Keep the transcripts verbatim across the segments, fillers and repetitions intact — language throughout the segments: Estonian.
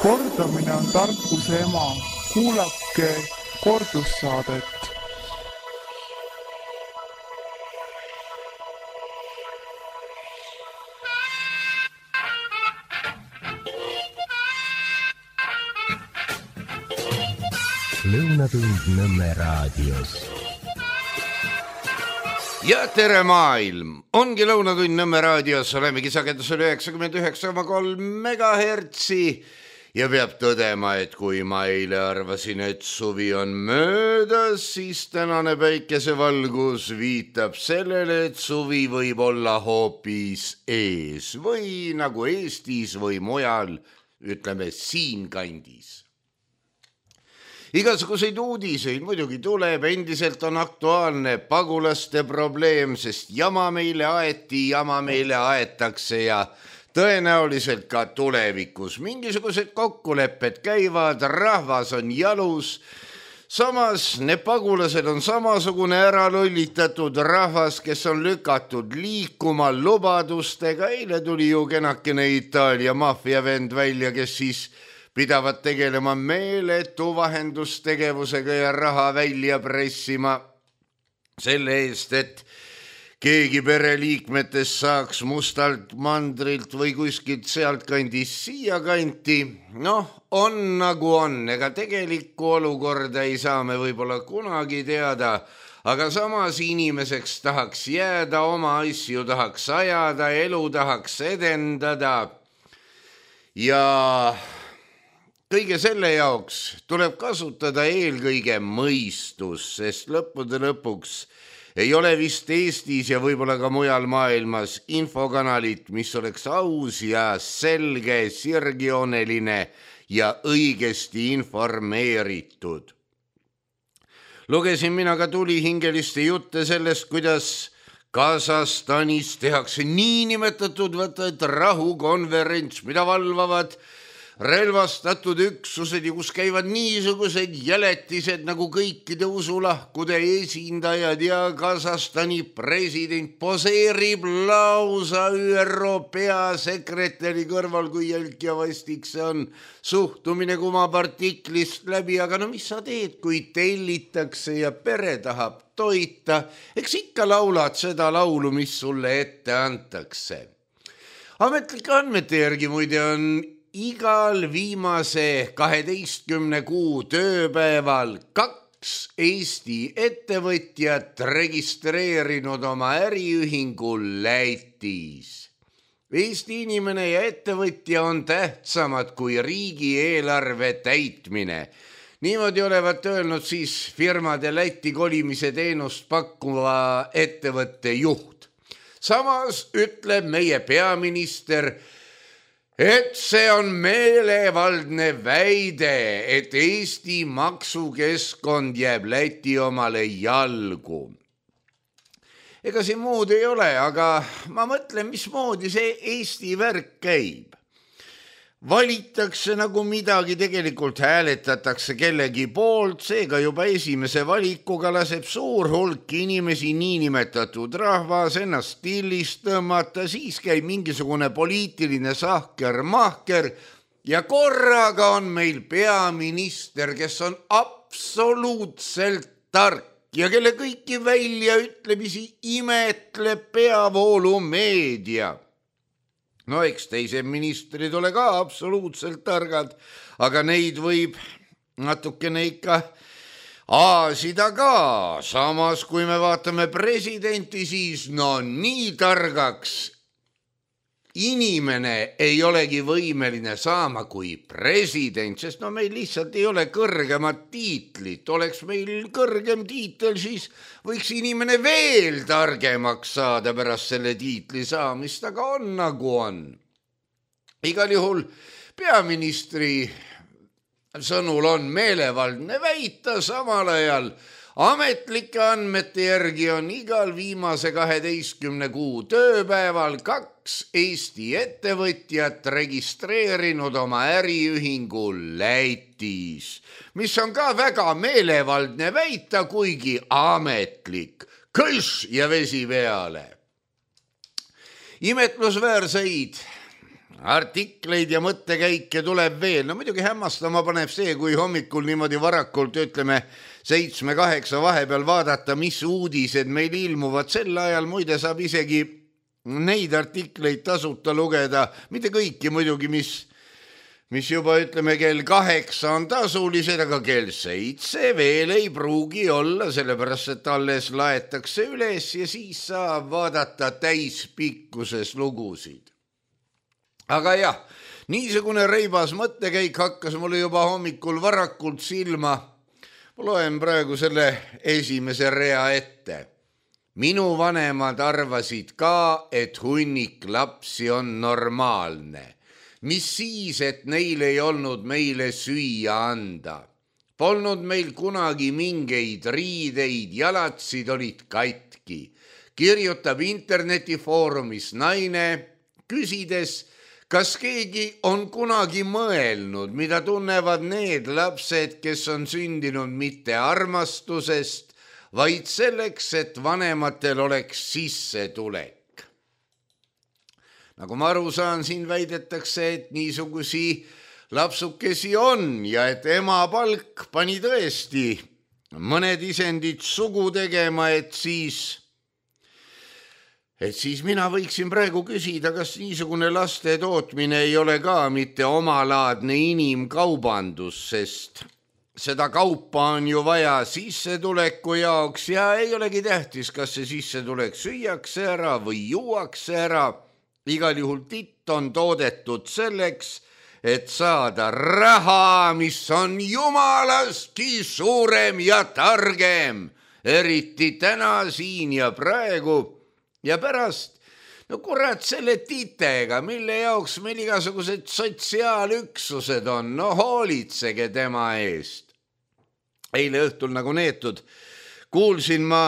Kordamine on tarkuse ema. Kuulake kordussaadet. Lõunatund Nõmme raadios. Ja tere maailm! Ongi Lõunatund Nõmme raadios, olemegi sagedusel üheksakümmend üheksa koma kolm megahertsi ja peab tõdema, et kui ma eile arvasin, et suvi on möödas, siis tänane päikesevalgus viitab sellele, et suvi võib olla hoopis ees või nagu Eestis või mujal, ütleme siinkandis. Igasuguseid uudiseid muidugi tuleb, endiselt on aktuaalne pagulaste probleem, sest jama meile aeti, jama meile aetakse ja tõenäoliselt ka tulevikus. Mingisugused kokkulepped käivad, rahvas on jalus, samas need pagulased on samasugune ära lollitatud rahvas, kes on lükatud liikuma lubadustega. Eile tuli ju kenakene Itaalia maffiavend välja, kes siis pidavad tegelema meeletu vahendustegevusega ja raha välja pressima selle eest, et keegi pereliikmetest saaks mustalt mandrilt või kuskilt sealt kandis siia kanti. Noh, on nagu on, ega tegelikku olukorda ei saa me võib-olla kunagi teada, aga samas inimeseks tahaks jääda, oma asju tahaks ajada, elu tahaks edendada ja kõige selle jaoks tuleb kasutada eelkõige mõistus, sest lõppude lõpuks ei ole vist Eestis ja võib-olla ka mujal maailmas infokanalit, mis oleks aus ja selge, sirgjooneline ja õigesti informeeritud. Lugesin mina ka tulihingeliste jutte sellest, kuidas Kasahstanis tehakse niinimetatud võtad rahukonverents, mida valvavad relvastatud üksused ja kus käivad niisugused jäletised nagu kõikide usulahkude esindajad ja Kasahstani president poseerib lausa Ü R O peasekretäri kõrval, kui jälk ja vastik see on. Suhtumine kumab artiklist läbi, aga no mis sa teed, kui tellitakse ja pere tahab toita, eks ikka laulad seda laulu, mis sulle ette antakse. Ametlike andmete järgi muide on igal viimase kaheteistkümne kuu tööpäeval kaks Eesti ettevõtjat registreerinud oma äriühingu Lätis. Eesti inimene ja ettevõtja on tähtsamad kui riigieelarve täitmine. Niimoodi olevat öelnud siis firmade Läti kolimise teenust pakkuva ettevõtte juht. Samas ütleb meie peaminister, et see on meelevaldne väide, et Eesti maksukeskkond jääb Läti omale jalgu. Ega siin muud ei ole, aga ma mõtlen, mismoodi see Eesti värk käib. Valitakse nagu midagi, tegelikult hääletatakse kellegi poolt, seega juba esimese valikuga laseb suur hulk inimesi niinimetatud rahvas ennast stillist tõmmata, siis käib mingisugune poliitiline sahker-mahker ja korraga on meil peaminister, kes on absoluutselt tark ja kelle kõiki väljaütlemisi imetleb peavoolu meedia. No eks teised ministrid ole ka absoluutselt targad, aga neid võib natukene ikka aasida ka. Samas, kui me vaatame presidenti, siis no nii targaks inimene ei olegi võimeline saama kui president, sest no meil lihtsalt ei ole kõrgemat tiitlit. Oleks meil kõrgem tiitel, siis võiks inimene veel targemaks saada pärast selle tiitli saamist, aga on nagu on. Igal juhul peaministri sõnul on meelevaldne väita, samal ajal ametlike andmete järgi on igal viimase kaheteistkümne kuu tööpäeval kaks Eesti ettevõtjat registreerinud oma äriühingu Lätis, mis on ka väga meelevaldne väita, kuigi ametlik. Kõš ja vesi peale. Imetlusväärseid artikleid ja mõttekäike tuleb veel. No muidugi hämmastama paneb see, kui hommikul niimoodi varakult, ütleme, seitsme-kaheksa vahepeal vaadata, mis uudised meil ilmuvad. Sel ajal muide saab isegi neid artikleid tasuta lugeda, mitte kõiki muidugi, mis, mis juba ütleme kell kaheksa on tasulised, aga kell seitse veel ei pruugi olla, sellepärast et alles laetakse üles ja siis saab vaadata täispikkuses lugusid. Aga jah, niisugune reibas mõttekäik hakkas mulle juba hommikul varakult silma. Ma loen praegu selle esimese rea ette. Minu vanemad arvasid ka, et hunnik lapsi on normaalne. Mis siis, et neil ei olnud meile süüa anda. Polnud meil kunagi mingeid riideid, jalatsid olid katki. Kirjutab internetifoorumis naine, küsides, kas keegi on kunagi mõelnud, mida tunnevad need lapsed, kes on sündinud mitte armastusest, vaid selleks, et vanematel oleks sissetulek. Nagu ma aru saan, siin väidetakse, et niisugusi lapsukesi on ja et ema palk pani tõesti mõned isendid sugu tegema, et siis... Et siis mina võiksin praegu küsida, kas niisugune laste tootmine ei ole ka mitte omalaadne inimkaubandus, sest seda kaupa on ju vaja sissetuleku jaoks ja ei olegi tähtis, kas see sissetulek süüakse ära või juuakse ära. Igal juhul titt on toodetud selleks, et saada raha, mis on jumalastki suurem ja targem, eriti täna, siin ja praegu. Ja pärast, no kurat selle titega, mille jaoks meil igasugused sotsiaalüksused on, no hoolitsege tema eest. Eile õhtul nagu neetud, kuulsin ma,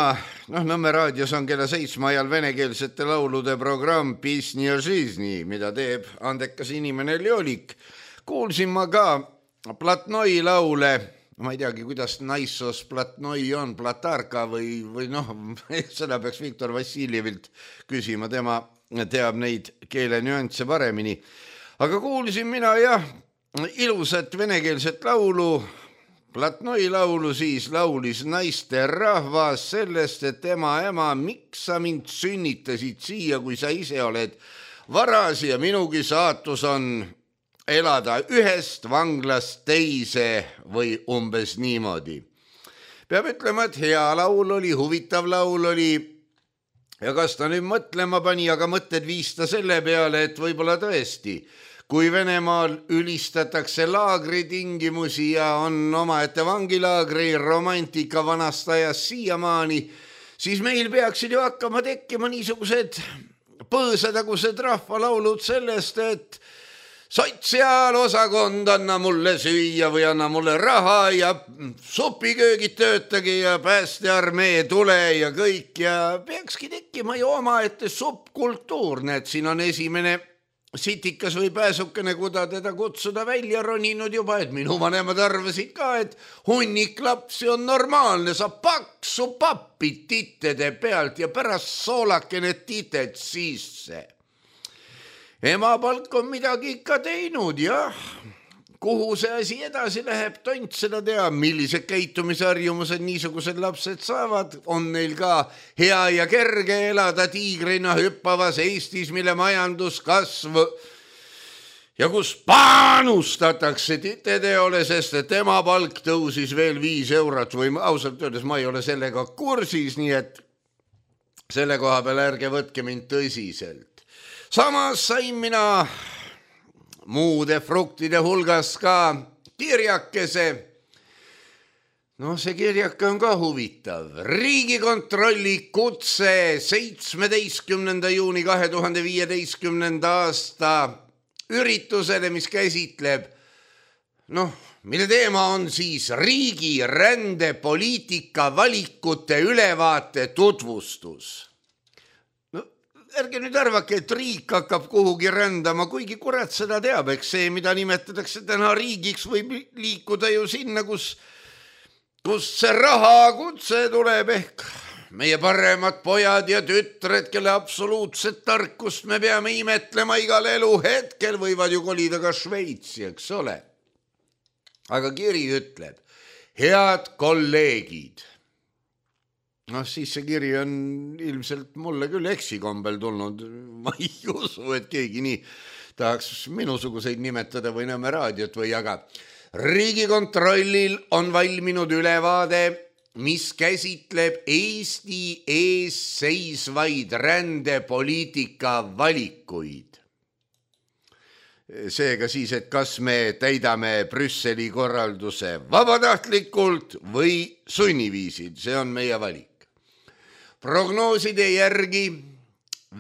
noh Nõmme raadios on kella seitsme ajal venekeelsete laulude programm Pisni ja Žizni, mida teeb andekas inimene Ljolik. Kuulsin ma ka Platnoi laule, ma ei teagi, kuidas naissos Platnoi on, Platarka või, või noh, seda peaks Viktor Vassiljevilt küsima, tema teab neid keele nüansse paremini. Aga kuulsin mina jah, ilusat venekeelset laulu, Platnoi laulu siis laulis naiste rahvas sellest, et tema ema, miks sa mind sünnitasid siia, kui sa ise oled varas ja minugi saatus on elada ühest vanglast teise või umbes niimoodi. Peab ütlema, et hea laul oli, huvitav laul oli ja kas ta nüüd mõtlema pani, aga mõtted viista selle peale, et võib-olla tõesti, kui Venemaal ülistatakse laagritingimusi ja on omaette vangilaagri romantika vanast ajast siiamaani, siis meil peaksid ju hakkama tekkima niisugused põõsadagused rahvalaulud sellest, et sotsiaalosakond, anna mulle süüa või anna mulle raha ja supiköögid töötage ja päästearmee tule ja kõik ja peakski tekkima ju omaette subkultuur. Näed, siin on esimene sitikas või pääsukene, kuda teda kutsuda välja roninud juba, et minu vanemad arvasid ka, et hunnik lapsi on normaalne, saab paksu pappi titede pealt ja pärast soolakene tited sisse. Ema palk on midagi ikka teinud, jah. Kuhu see asi edasi läheb, tont seda teab, millised käitumisharjumused niisugused lapsed saavad. On neil ka hea ja kerge elada tiigrina hüppavas Eestis, mille majanduskasv ja kus panustatakse titeteole, sest et tema palk tõusis veel viis eurot või ausalt öeldes ma ei ole sellega kursis, nii et selle koha peal ärge võtke mind tõsiselt. Samas sain mina muude fruktide hulgas ka kirjakese. No see kirjake on ka huvitav. Riigikontrolli kutse seitsmeteistkümnenda juuni kahe tuhande viieteistkümnenda aasta üritusele, mis käsitleb, noh, mille teema on siis riigi rändepoliitika valikute ülevaate tutvustus. Ärge nüüd arvake, et riik hakkab kuhugi rändama, kuigi kurat seda teab, eks see, mida nimetatakse täna riigiks, võib liikuda ju sinna, kus, kus see raha kutse tuleb ehk meie paremad pojad ja tütred, kelle absoluutset tarkust me peame imetlema igal eluhetkel, võivad ju kolida ka Šveitsi, eks ole. Aga kiri ütleb, head kolleegid. Noh, siis see kiri on ilmselt mulle küll eksikombel tulnud. Ma ei usu, et keegi nii tahaks minusuguseid nimetada või Nõmme raadiot või aga Riigikontrollil on valminud ülevaade, mis käsitleb Eesti ees seisvaid rändepoliitika valikuid. Seega siis, et kas me täidame Brüsseli korralduse vabatahtlikult või sunniviisil, see on meie valik. Prognooside järgi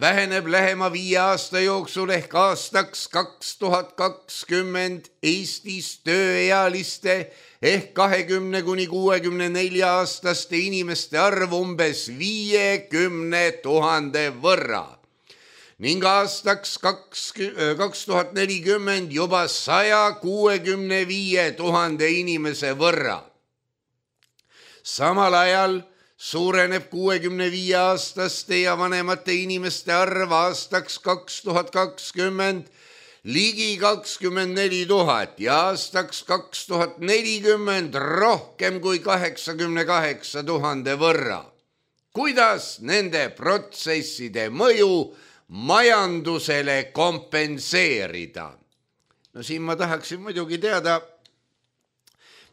väheneb lähema viie aasta jooksul ehk aastaks kaks tuhat kakskümmend Eestis tööealiste ehk kahekümne kuni kuuekümne nelja aastaste inimeste arv umbes viiekümne tuhande võrra ning aastaks kaks tuhat nelikümmend juba saja kuuekümne viie tuhande inimese võrra. Samal ajal suureneb kuuekümne viie aastaste ja vanemate inimeste arv aastaks kaks tuhat kakskümmend ligi kakskümmend neli tuhat ja aastaks kaks tuhat nelikümmend rohkem kui kaheksakümne kaheksa tuhande võrra. Kuidas nende protsesside mõju majandusele kompenseerida? No siin ma tahaksin muidugi teada,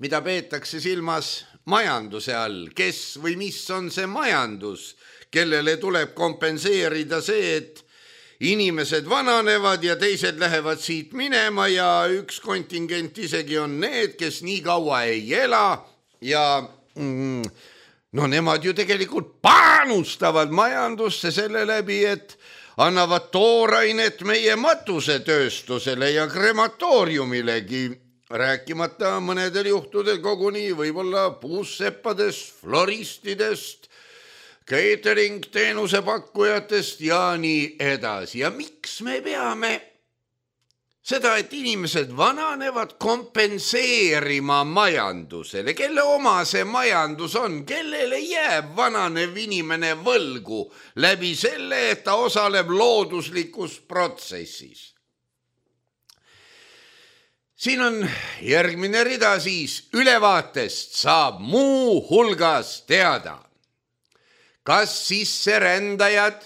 mida peetakse silmas majanduse all, kes või mis on see majandus, kellele tuleb kompenseerida see, et inimesed vananevad ja teised lähevad siit minema ja üks kontingent isegi on need, kes nii kaua ei ela ja mm, no nemad ju tegelikult panustavad majandusse selle läbi, et annavad toorainet meie matusetööstusele ja krematooriumilegi, rääkimata mõnedel juhtudel koguni võib-olla puusseppadest, floristidest, catering teenuse pakkujatest ja nii edasi. Ja miks me peame seda, et inimesed vananevad, kompenseerima majandusele? Kelle oma see majandus on? Kellele jääb vananev inimene võlgu läbi selle, et ta osaleb looduslikus protsessis? Siin on järgmine rida siis. Ülevaatest saab muu hulgas teada, kas sisserändajad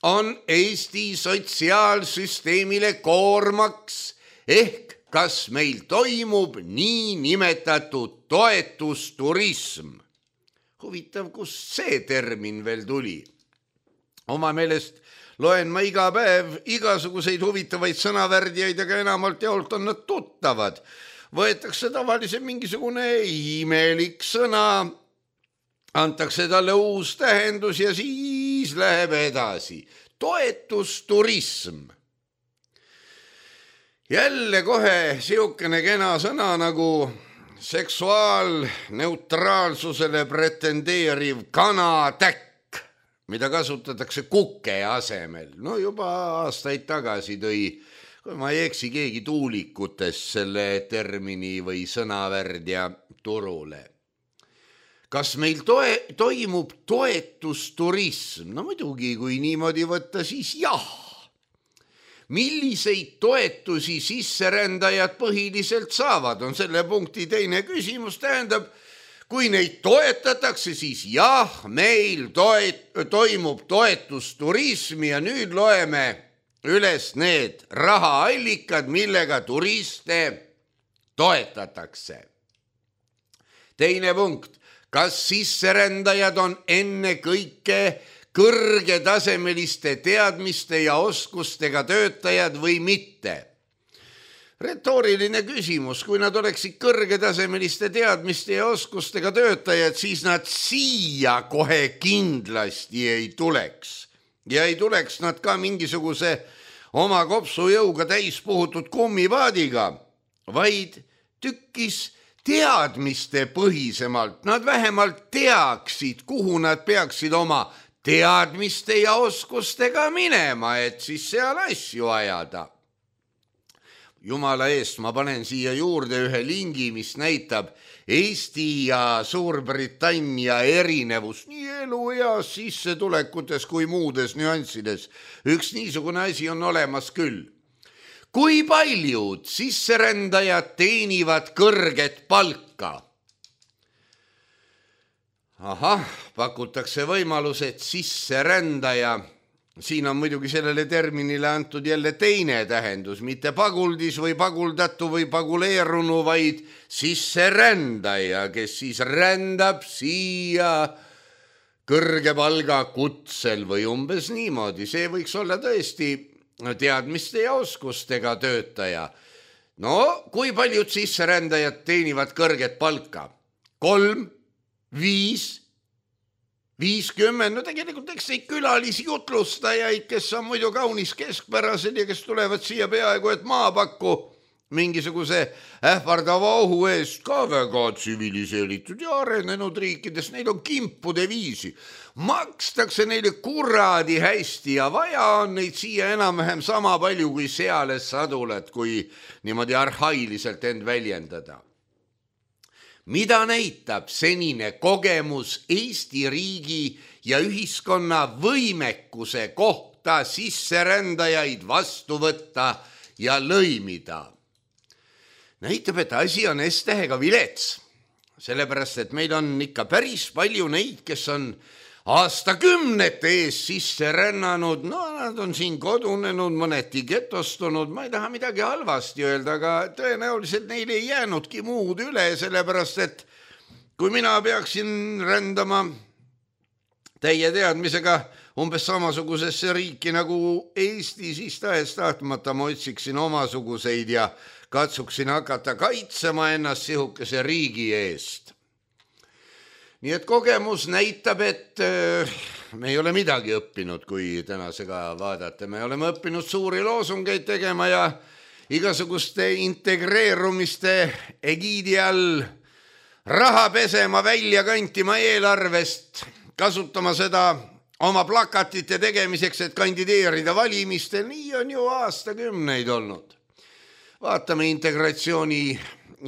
on Eesti sotsiaalsüsteemile koormaks ehk kas meil toimub nii nimetatud toetusturism. Huvitav, kus see termin veel tuli? Oma meelest loen ma iga päev igasuguseid huvitavaid sõnavärdjaid, aga enamalt jaolt on nad tuttavad. Võetakse tavaliselt mingisugune imelik sõna, antakse talle uus tähendus ja siis läheb edasi. Toetusturism. Jälle kohe siukene kena sõna nagu seksuaalneutraalsusele pretendeeriv kanatäkk, mida kasutatakse kuke asemel. No juba aastaid tagasi tõi, kui ma ei eksi, keegi tuulikutest selle termini või sõnavärdja turule. Kas meil toe, toimub toetusturism? No muidugi, kui niimoodi võtta, siis jah. Milliseid toetusi sisserändajad põhiliselt saavad, on selle punkti teine küsimus. Tähendab, kui neid toetatakse, siis jah, meil toet, toimub toetusturism ja nüüd loeme üles need rahaallikad, millega turiste toetatakse. Teine punkt. Kas sisserändajad on enne kõike kõrgetasemeliste teadmiste ja oskustega töötajad või mitte? Retooriline küsimus. Kui nad oleksid kõrgetasemeliste teadmiste ja oskustega töötajad, siis nad siia kohe kindlasti ei tuleks. Ja ei tuleks nad ka mingisuguse oma kopsujõuga täis puhutud kummipaadiga, vaid tükkis teadmiste põhisemalt. Nad vähemalt teaksid, kuhu nad peaksid oma teadmiste ja oskustega minema, et siis seal asju ajada. jumala eest, ma panen siia juurde ühe lingi, mis näitab Eesti ja Suurbritannia erinevus nii elueas, sissetulekutes kui muudes nüanssides. Üks niisugune asi on olemas küll. Kui paljud sisserändajad teenivad kõrget palka? Ahah, pakutakse võimalus, et sisserändaja, siin on muidugi sellele terminile antud jälle teine tähendus, mitte paguldis või paguldatu või paguleerunu, vaid sisserändaja, kes siis rändab siia kõrge palga kutsel või umbes niimoodi. See võiks olla tõesti teadmiste ja oskustega töötaja. No, kui paljud sisserändajad teenivad kõrget palka? Kolm, viis, viiskümmend, no tegelikult eks neid külalisi jutlustajaid, kes on muidu kaunis keskpärased ja kes tulevad siia peaaegu et maapakku mingisuguse ähvardava ohu eest ka väga tsiviliseeritud ja arenenud riikides, neil on kimpude viisi. Makstakse neile kuradi hästi ja vaja on neid siia enam-vähem sama palju kui seales sadulat, kui niimoodi arhailiselt end väljendada. Mida näitab senine kogemus Eesti riigi ja ühiskonna võimekuse kohta sisserändajaid vastu võtta ja lõimida? Näitab, et asi on S-tähega vilets, sellepärast, et meil on ikka päris palju neid, kes on aastakümnete ees sisse rännanud, no nad on siin kodunenud, mõneti getostunud, ma ei taha midagi halvasti öelda, aga tõenäoliselt neil ei jäänudki muud üle, sellepärast, et kui mina peaksin rändama täie teadmisega umbes samasugusesse riiki nagu Eesti, siis tahes tahtmata ma otsiksin omasuguseid ja katsuksin hakata kaitsema ennast sihukese riigi eest. Nii et kogemus näitab, et me ei ole midagi õppinud, kui tänasega vaadata. Me oleme õppinud suuri loosungeid tegema ja igasuguste integreerumiste egiidi all raha pesema, välja kantima eelarvest, kasutama seda oma plakatite tegemiseks, et kandideerida valimistel. Nii on ju aastakümneid olnud. Vaatame integratsiooni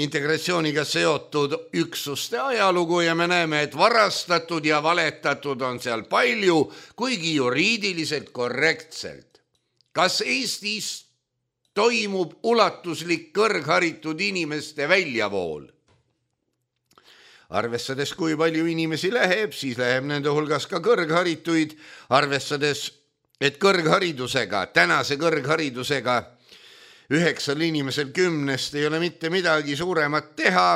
integratsiooniga seotud üksuste ajalugu ja me näeme, et varastatud ja valetatud on seal palju, kuigi juriidiliselt korrektselt. Kas Eestis toimub ulatuslik kõrgharitud inimeste väljavool? Arvestades, kui palju inimesi läheb, siis läheb nende hulgas ka kõrgharituid, arvestades, et kõrgharidusega, tänase kõrgharidusega üheksal inimesel kümnest ei ole mitte midagi suuremat teha.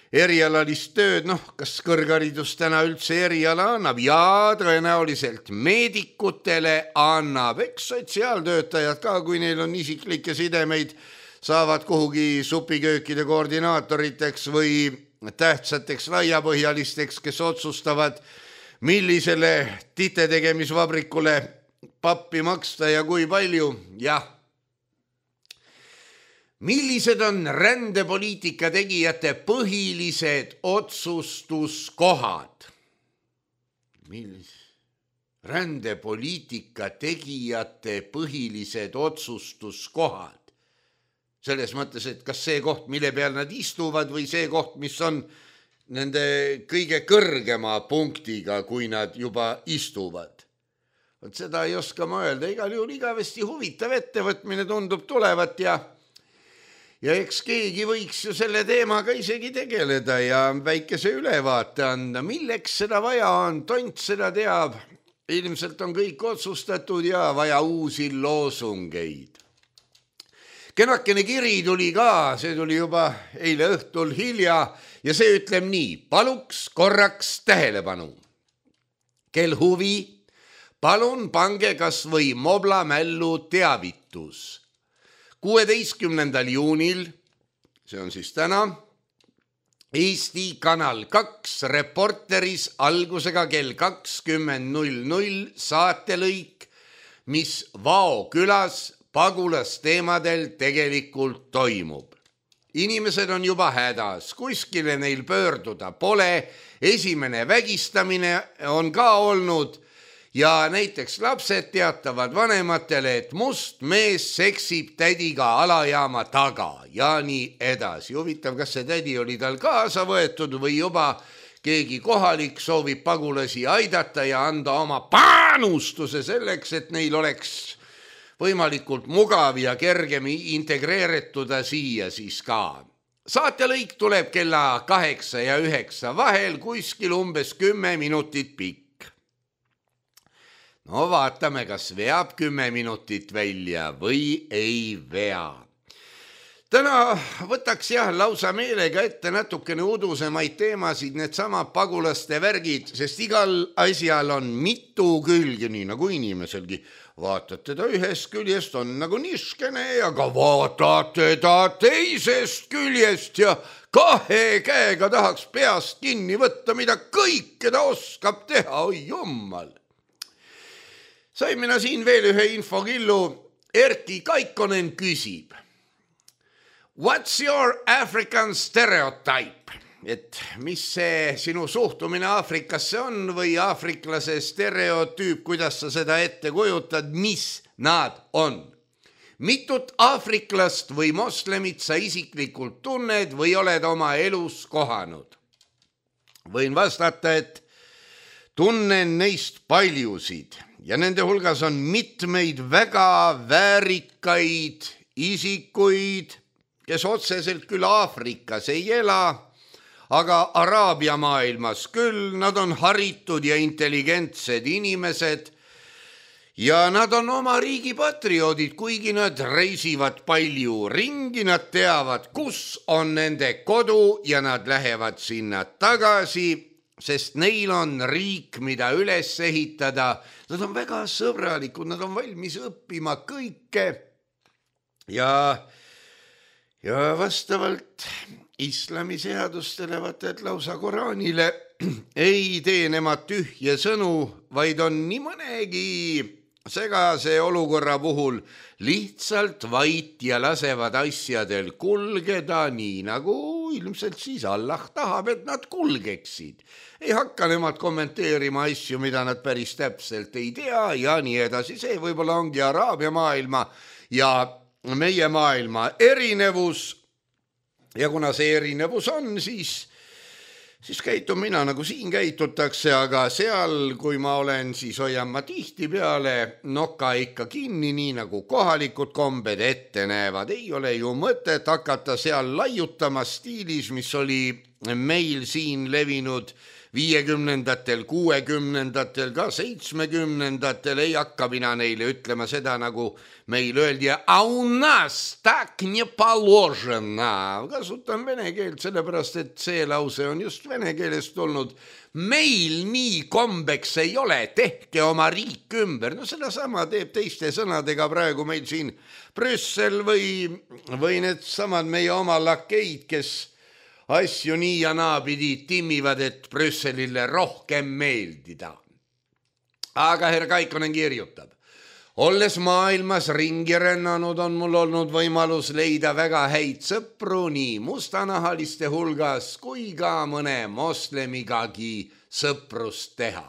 Erialalist tööd, noh, kas kõrgharidus täna üldse eriala annab? Jaa, tõenäoliselt meedikutele annab, eks sotsiaaltöötajad ka, kui neil on isiklikke sidemeid, saavad kuhugi supiköökide koordinaatoriteks või tähtsateks laiapõhjalisteks, kes otsustavad, millisele titetegemisvabrikule pappi maksta ja kui palju. Jah. Millised on rändepoliitika tegijate põhilised otsustuskohad? Millised? Rändepoliitika tegijate põhilised otsustuskohad. Selles mõttes, et kas see koht, mille peal nad istuvad või see koht, mis on nende kõige kõrgema punktiga, kui nad juba istuvad. Võt seda ei oska ma öelda. Igal juhul igavesti huvitav ettevõtmine tundub tulevat ja Ja eks keegi võiks ju selle teemaga isegi tegeleda ja väikese ülevaate anda, milleks seda vaja on, tont seda teab. Ilmselt on kõik otsustatud ja vaja uusi loosungeid. Kenakene kiri tuli ka, see tuli juba eile õhtul hilja ja see ütleb nii, paluks korraks tähelepanu. Kel huvi, palun pange kas või Mobla mällu teavitus. kuueteistkümnendal juunil, see on siis täna, Eesti Kanal kaks Reporteris algusega kell kakskümmend null null saatelõik, mis Vao külas pagulasteemadel tegelikult toimub. Inimesed on juba hädas, kuskile neil pöörduda pole, esimene vägistamine on ka olnud ja näiteks lapsed teatavad vanematele, et must mees seksib tädiga alajaama taga ja nii edasi. Huvitav, kas see tädi oli tal kaasa võetud või juba keegi kohalik soovib pagulasi aidata ja anda oma panustuse selleks, et neil oleks võimalikult mugav ja kergemi integreerituda siia siis ka. Saatelõik tuleb kella kaheksa ja üheksa vahel, kuskil umbes kümme minutit pikk. No vaatame, kas veab kümme minutit välja või ei vea. Täna võtaks jah lausa meelega ette natukene udusemaid teemasid, need samad pagulaste värgid, sest igal asjal on mitu külge, nii nagu inimeselgi. Vaatad teda ühest küljest, on nagu niskene, aga vaatad teda teisest küljest ja kahe käega tahaks peast kinni võtta, mida kõike ta oskab teha, oi jummal. Sain mina siin veel ühe infokillu, Erki Kaikonen küsib. What's your African stereotype? Et mis see sinu suhtumine Aafrikasse on või aafriklase stereotüüp, kuidas sa seda ette kujutad, mis nad on? Mitut aafriklast või moslemit sa isiklikult tunned või oled oma elus kohanud? Võin vastata, et tunnen neist paljusid ja nende hulgas on mitmeid väga väärikaid isikuid, kes otseselt küll Aafrikas ei ela, aga Araabia maailmas küll. Nad on haritud ja intelligentsed inimesed ja nad on oma riigi patrioodid, kuigi nad reisivad palju ringi, nad teavad, kus on nende kodu ja nad lähevad sinna tagasi, sest neil on riik, mida üles ehitada. Nad on väga sõbralikud, nad on valmis õppima kõike ja Ja vastavalt islami seadustele, vaata, et lausa Koraanile ei tee nemad tühje sõnu, vaid on nii mõnegi segase olukorra puhul lihtsalt vait ja lasevad asjadel kulgeda nii nagu ilmselt siis Allah tahab, et nad kulgeksid. Ei hakka nemad kommenteerima asju, mida nad päris täpselt ei tea ja nii edasi. See võib-olla ongi Araabia maailma ja meie maailma erinevus ja kuna see erinevus on, siis, siis käitun mina nagu siin käitutakse, aga seal, kui ma olen, siis hoian ma tihti peale noka ikka kinni, nii nagu kohalikud kombed ette näevad. Ei ole ju mõtet hakata seal laiutama stiilis, mis oli meil siin levinud viiekümnendatel, kuuekümnendatel, ka seitsmekümnendatel. Ei hakka mina neile ütlema seda, nagu meil öeldi, a u nas tak не положено. Kasutan vene keelt, sellepärast, et see lause on just vene keelest tulnud. Meil nii kombeks ei ole, tehke oma riik ümber. No seda sama teeb teiste sõnadega praegu meil siin Brüssel või, või need samad meie oma lakeid, kes asju nii ja naapidi timmivad, et Brüsselile rohkem meeldida. Aga herr Kaikonen kirjutab. Olles maailmas ringi rännanud, on mul olnud võimalus leida väga häid sõpru nii mustanahaliste hulgas kui ka mõne moslemigagi sõprust teha.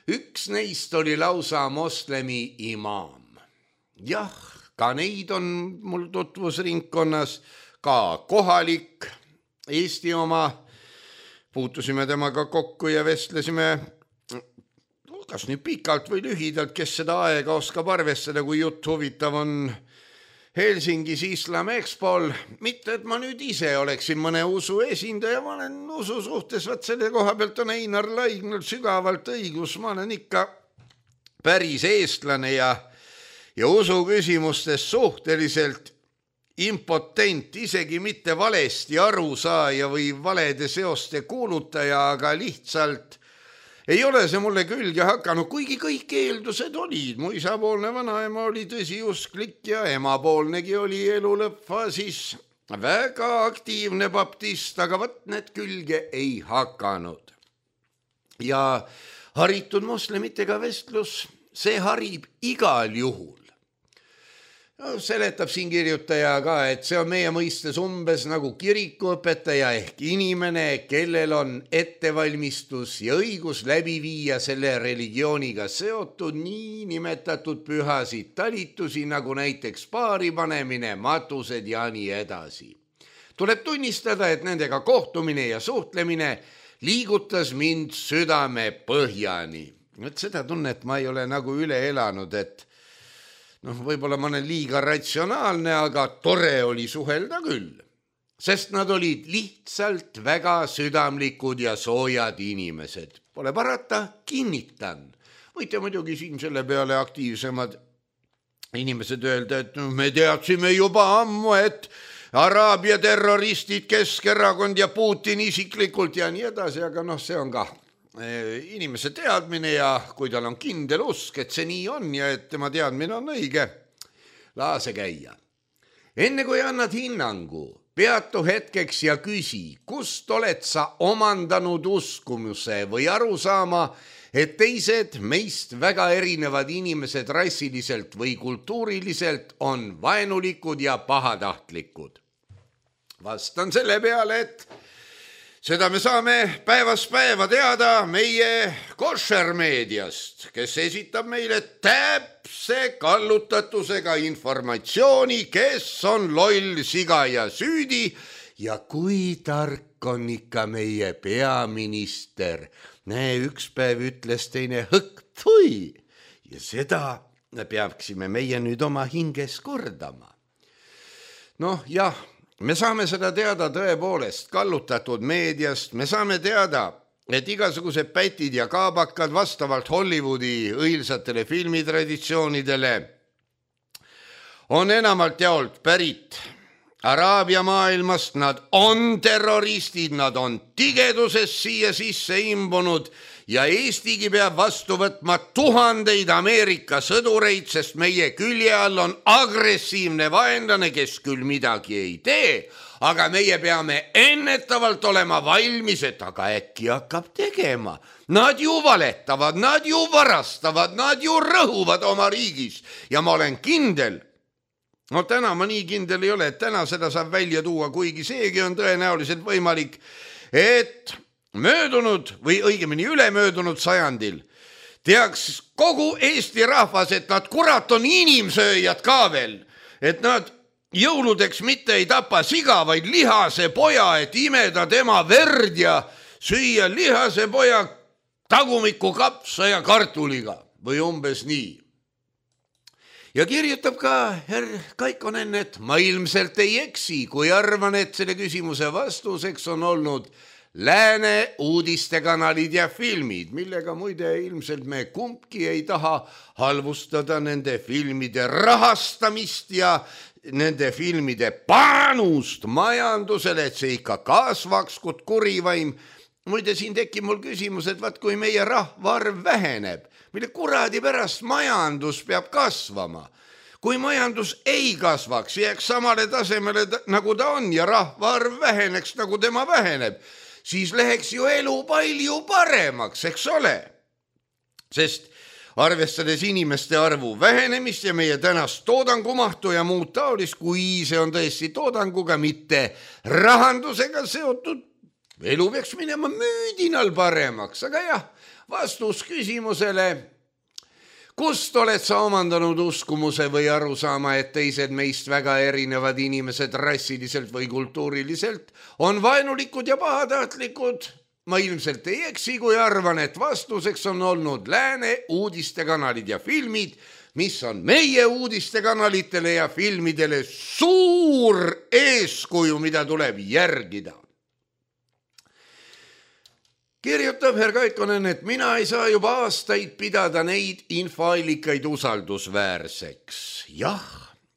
Üks neist oli lausa moslemi imaam. Jah, ka neid on mul tutvusringkonnas, ka kohalik Eesti oma. Puutusime temaga kokku ja vestlesime kas nüüd pikalt või lühidalt, kes seda aega oskab arvestada, kui jutt huvitav on Helsingis Islam Expol. Mitte, et ma nüüd ise oleksin mõne usu esindaja, ma olen usu suhtes, vaat selle koha pealt on Einar Laignal sügavalt õigus, ma olen ikka päris eestlane ja, ja usu küsimustes suhteliselt impotent, isegi mitte valesti arusaaja või valede seoste kuulutaja, aga lihtsalt ei ole see mulle külge hakanud, kuigi kõik eeldused olid. Mu isapoolne vanaema oli tõsiusklik ja emapoolnegi oli elu lõppfaasis väga aktiivne baptist, aga võt need külge ei hakanud. Ja haritud moslemitega vestlus, see harib igal juhul. No, seletab siin kirjutaja ka, et see on meie mõistes umbes nagu kirikuõpetaja ehk inimene, kellel on ettevalmistus ja õigus läbi viia selle religiooniga seotud nii nimetatud pühasid talitusi, nagu näiteks paari panemine, matused ja nii edasi. Tuleb tunnistada, et nendega kohtumine ja suhtlemine liigutas mind südame põhjani. Et seda tunnet ma ei ole nagu üle elanud, et noh, võib-olla ma olen liiga ratsionaalne, aga tore oli suhelda küll, sest nad olid lihtsalt väga südamlikud ja soojad inimesed. Pole parata, kinnitan. Võite muidugi siin selle peale aktiivsemad inimesed öelda, et me teadsime juba ammu, et Araabia terroristid, Keskerakond ja Putin isiklikult ja nii edasi, aga noh, see on ka inimese teadmine ja kui tal on kindel usk, et see nii on ja et tema teadmine on õige, laase käia. Enne kui annad hinnangu, peatu hetkeks ja küsi, kust oled sa omandanud uskumuse või aru saama, et teised meist väga erinevad inimesed rassiliselt või kultuuriliselt on vaenulikud ja pahatahtlikud. Vastan selle peale, et seda me saame päevast päeva teada meie koššermeediast, kes esitab meile täpse kallutatusega informatsiooni, kes on loll, siga ja süüdi ja kui tark on ikka meie peaminister. Näe, üks päev ütles teine hõkk, tui, ja seda peaksime meie nüüd oma hinges kordama. Noh, jah. Me saame seda teada tõepoolest kallutatud meediast, me saame teada, et igasugused pätid ja kaabakad vastavalt Hollywoodi õilsatele filmitraditsioonidele on enamalt jaolt pärit Araabia maailmast, nad on terroristid, nad on tigeduses siia sisse imbunud ja Eestigi peab vastu võtma tuhandeid Ameerika sõdureid, sest meie külje all on agressiivne vaenlane, kes küll midagi ei tee, aga meie peame ennetavalt olema valmis, et aga äkki hakkab tegema. Nad ju valetavad, nad ju varastavad, nad ju rõhuvad oma riigis ja ma olen kindel, no täna ma nii kindel ei ole, et täna seda saab välja tuua, kuigi seegi on tõenäoliselt võimalik, et möödunud või õigemini ülemöödunud sajandil teaks kogu Eesti rahvas, et nad kurat on inimsööjad ka veel, et nad jõuludeks mitte ei tapa siga, vaid lihase poja, et imeda tema verd ja süüa lihase poja tagumiku kapsa ja kartuliga või umbes nii. Ja kirjutab ka herr Kaikonen, et ma ilmselt ei eksi, kui arvan, et selle küsimuse vastuseks on olnud Lääne uudistekanalid ja filmid, millega muide ilmselt me kumbki ei taha halvustada nende filmide rahastamist ja nende filmide panust majandusele, et see ikka kasvaks kui kurivaim. Muide, siin tekib mul küsimus, et vaat kui meie rahvaarv väheneb, mille kuradi pärast majandus peab kasvama. Kui majandus ei kasvaks, jääks samale tasemele nagu ta on ja rahvaarv väheneks nagu tema väheneb, siis läheks ju elu palju paremaks, eks ole. Sest arvestades inimeste arvu vähenemist ja meie tänast toodangumahtu ja muud taolist, kui see on tõesti toodanguga, mitte rahandusega seotud, elu peaks minema müüdinal paremaks. Aga jah, vastus küsimusele, kust oled sa omandanud uskumuse või aru saama, et teised meist väga erinevad inimesed rassiliselt või kultuuriliselt on vaenulikud ja pahatahtlikud? Ma ilmselt ei eksi, kui arvan, et vastuseks on olnud Lääne uudistekanalid ja filmid, mis on meie uudistekanalitele ja filmidele suur eeskuju, mida tuleb järgida. Kirjutab herr Kaikonen, et mina ei saa juba aastaid pidada neid infoallikaid usaldusväärseks. Jah,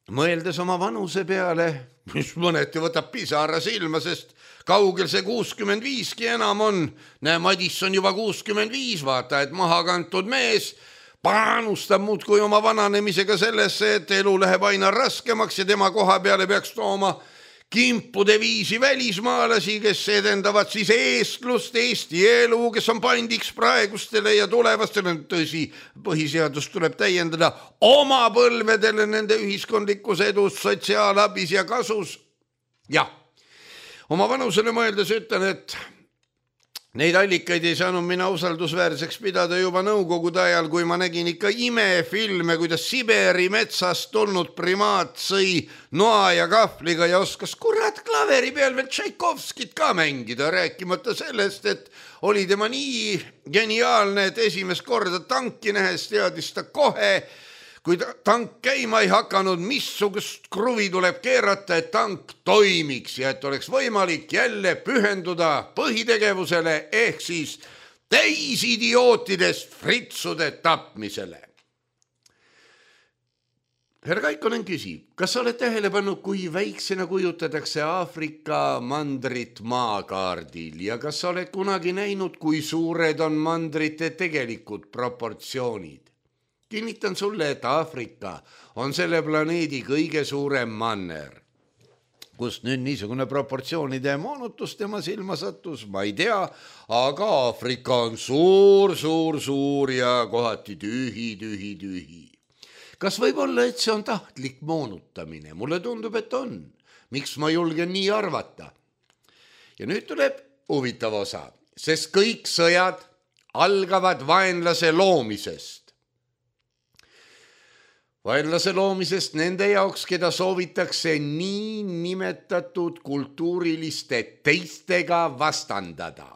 mõeldes oma vanuse peale, mis mõneti võtab pisara silma, sest kaugel see kuuskümmend viiski enam on. Näe, Madisson juba kuuskümmend viis, vaata, et maha kantud mees panustab muudkui oma vananemisega sellesse, et elu läheb aina raskemaks ja tema koha peale peaks tooma kimpude viisi välismaalasi, kes edendavad siis eestlust, Eesti elu, kes on pandiks praegustele ja tulevastele, tõsi, põhiseadust tuleb täiendada oma põlvedele nende ühiskondlikus edus, sotsiaalabis ja kasus. Jah, oma vanusele mõeldes ütlen, et neid allikaid ei saanud mina usaldusväärseks pidada juba nõukogude ajal, kui ma nägin ikka imefilme, kuidas Siberi metsast tulnud primaat sõi noa ja kahvliga ja oskas kurat klaveri peal veel Tšaikovskit ka mängida, rääkimata sellest, et oli tema nii geniaalne, et esimest korda tanki nähes teadis ta kohe, kui tank käima ei hakanud, missugust kruvi tuleb keerata, et tank toimiks ja et oleks võimalik jälle pühenduda põhitegevusele ehk siis täisidiootidest fritsude tapmisele. Härra Kaikonen küsib, kas sa oled tähele pannud, kui väiksena kujutatakse Aafrika mandrit maakaardil ja kas sa oled kunagi näinud, kui suured on mandrite tegelikud proportsioonid? Kinnitan sulle, et Aafrika on selle planeedi kõige suurem manner. Kust nüüd niisugune proportsioonide moonutus tema silma sattus, ma ei tea, aga Aafrika on suur, suur, suur ja kohati tühi, tühi, tühi. Kas võib olla, et see on tahtlik moonutamine? Mulle tundub, et on. Miks ma julgen nii arvata? Ja nüüd tuleb huvitav osa, sest kõik sõjad algavad vaenlase loomisest. Vaenlase loomisest nende jaoks, keda soovitakse nii nimetatud kultuuriliste teistega vastandada.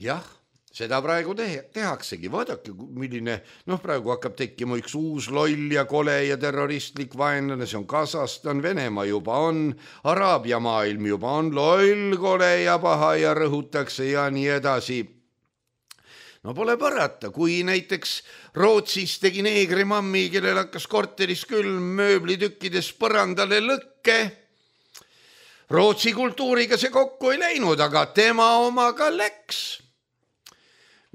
Jah, seda praegu tehaksegi. Vaadake, milline, noh praegu hakkab tekkima üks uus loll ja kole ja terroristlik vaenlane, see on Kasahstan, Venemaa juba on, Araabia maailm juba on loll, kole ja paha ja rõhutakse ja nii edasi. No pole parata, kui näiteks Rootsis tegi neegrimammi, kellel hakkas korteris küll mööblitükkides põrandale lõkke. Rootsi kultuuriga see kokku ei läinud, aga tema omaga läks.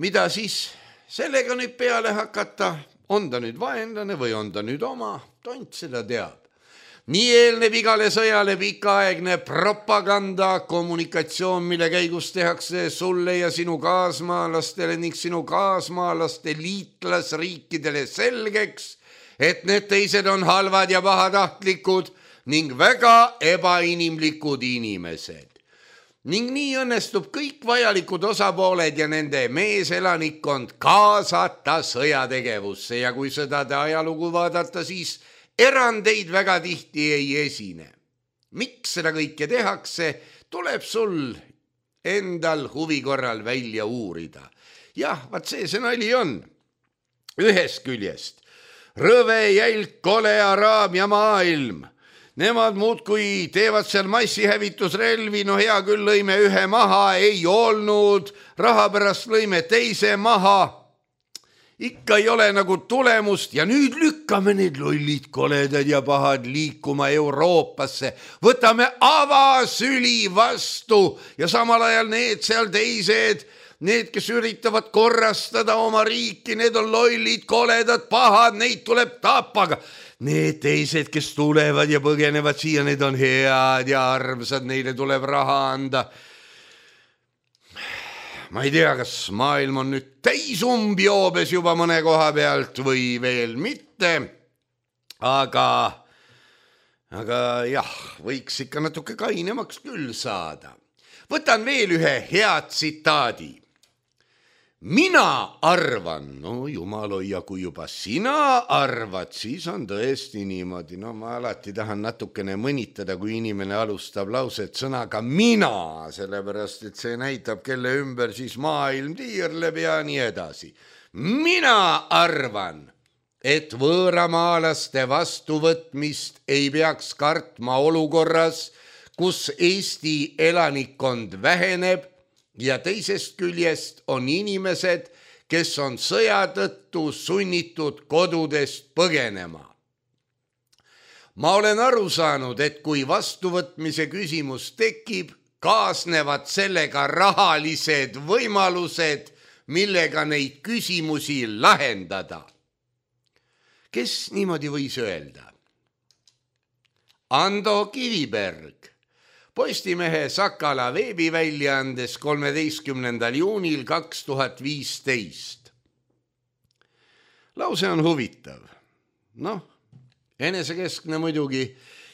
Mida siis sellega nüüd peale hakata? On ta nüüd vaenlane või on ta nüüd oma? Tont seda teab. Nii eelneb igale sõjale pikaaegne propaganda, kommunikatsioon, mille käigus tehakse sulle ja sinu kaasmaalastele ning sinu kaasmaalaste liitlasriikidele selgeks, et need teised on halvad ja pahatahtlikud ning väga ebainimlikud inimesed. Ning nii õnnestub kõik vajalikud osapooled ja nende meeselanikkond kaasata sõjategevusse ja kui sõdade ajalugu vaadata, siis erandeid väga tihti ei esine. Miks seda kõike tehakse, tuleb sul endal huvi korral välja uurida. Jah, vaat see see nali on. Ühest küljest rõve, jälk, kole Araabia maailm. Nemad muudkui teevad seal massihävitusrelvi, no hea küll lõime ühe maha, ei olnud, raha pärast lõime teise maha. Ikka ei ole nagu tulemust ja nüüd lükkame need lollid, koledad ja pahad liikuma Euroopasse. Võtame avasüli vastu ja samal ajal need seal teised, need, kes üritavad korrastada oma riiki, need on lollid, koledad, pahad, neid tuleb tapaga. Need teised, kes tulevad ja põgenevad siia, need on head ja armsad, neile tuleb raha anda. Ma ei tea, kas maailm on nüüd täisumbijoobes juba mõne koha pealt või veel mitte, aga, aga jah, võiks ikka natuke kainemaks küll saada. Võtan veel ühe hea tsitaadi. Mina arvan, no jumal hoia, kui juba sina arvad, siis on tõesti niimoodi. No ma alati tahan natukene mõnitada, kui inimene alustab lauset sõnaga mina, sellepärast, et see näitab, kelle ümber siis maailm tiirleb ja nii edasi. Mina arvan, et võõramaalaste vastuvõtmist ei peaks kartma olukorras, kus Eesti elanikkond väheneb, ja teisest küljest on inimesed, kes on sõja tõttu sunnitud kodudest põgenema. Ma olen aru saanud, et kui vastuvõtmise küsimus tekib, kaasnevad sellega rahalised võimalused, millega neid küsimusi lahendada. Kes niimoodi võis öelda? Ando Kiviberg. Postimehe Sakala veebiväljaandes kolmeteistkümnendal juunil kaks tuhat viisteist. Lause on huvitav. Noh, enesekeskne muidugi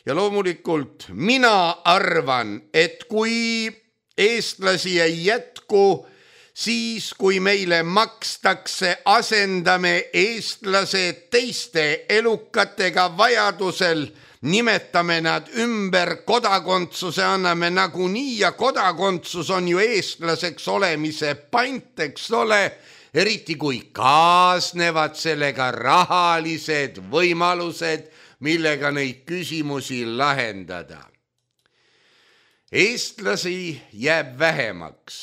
ja loomulikult mina arvan, et kui eestlasi ei jätku, siis kui meile makstakse, asendame eestlased teiste elukatega vajadusel, nimetame nad ümber, kodakondsuse anname nagunii ja kodakondsus on ju eestlaseks olemise pant, eks ole, eriti kui kaasnevad sellega rahalised võimalused, millega neid küsimusi lahendada. Eestlasi jääb vähemaks,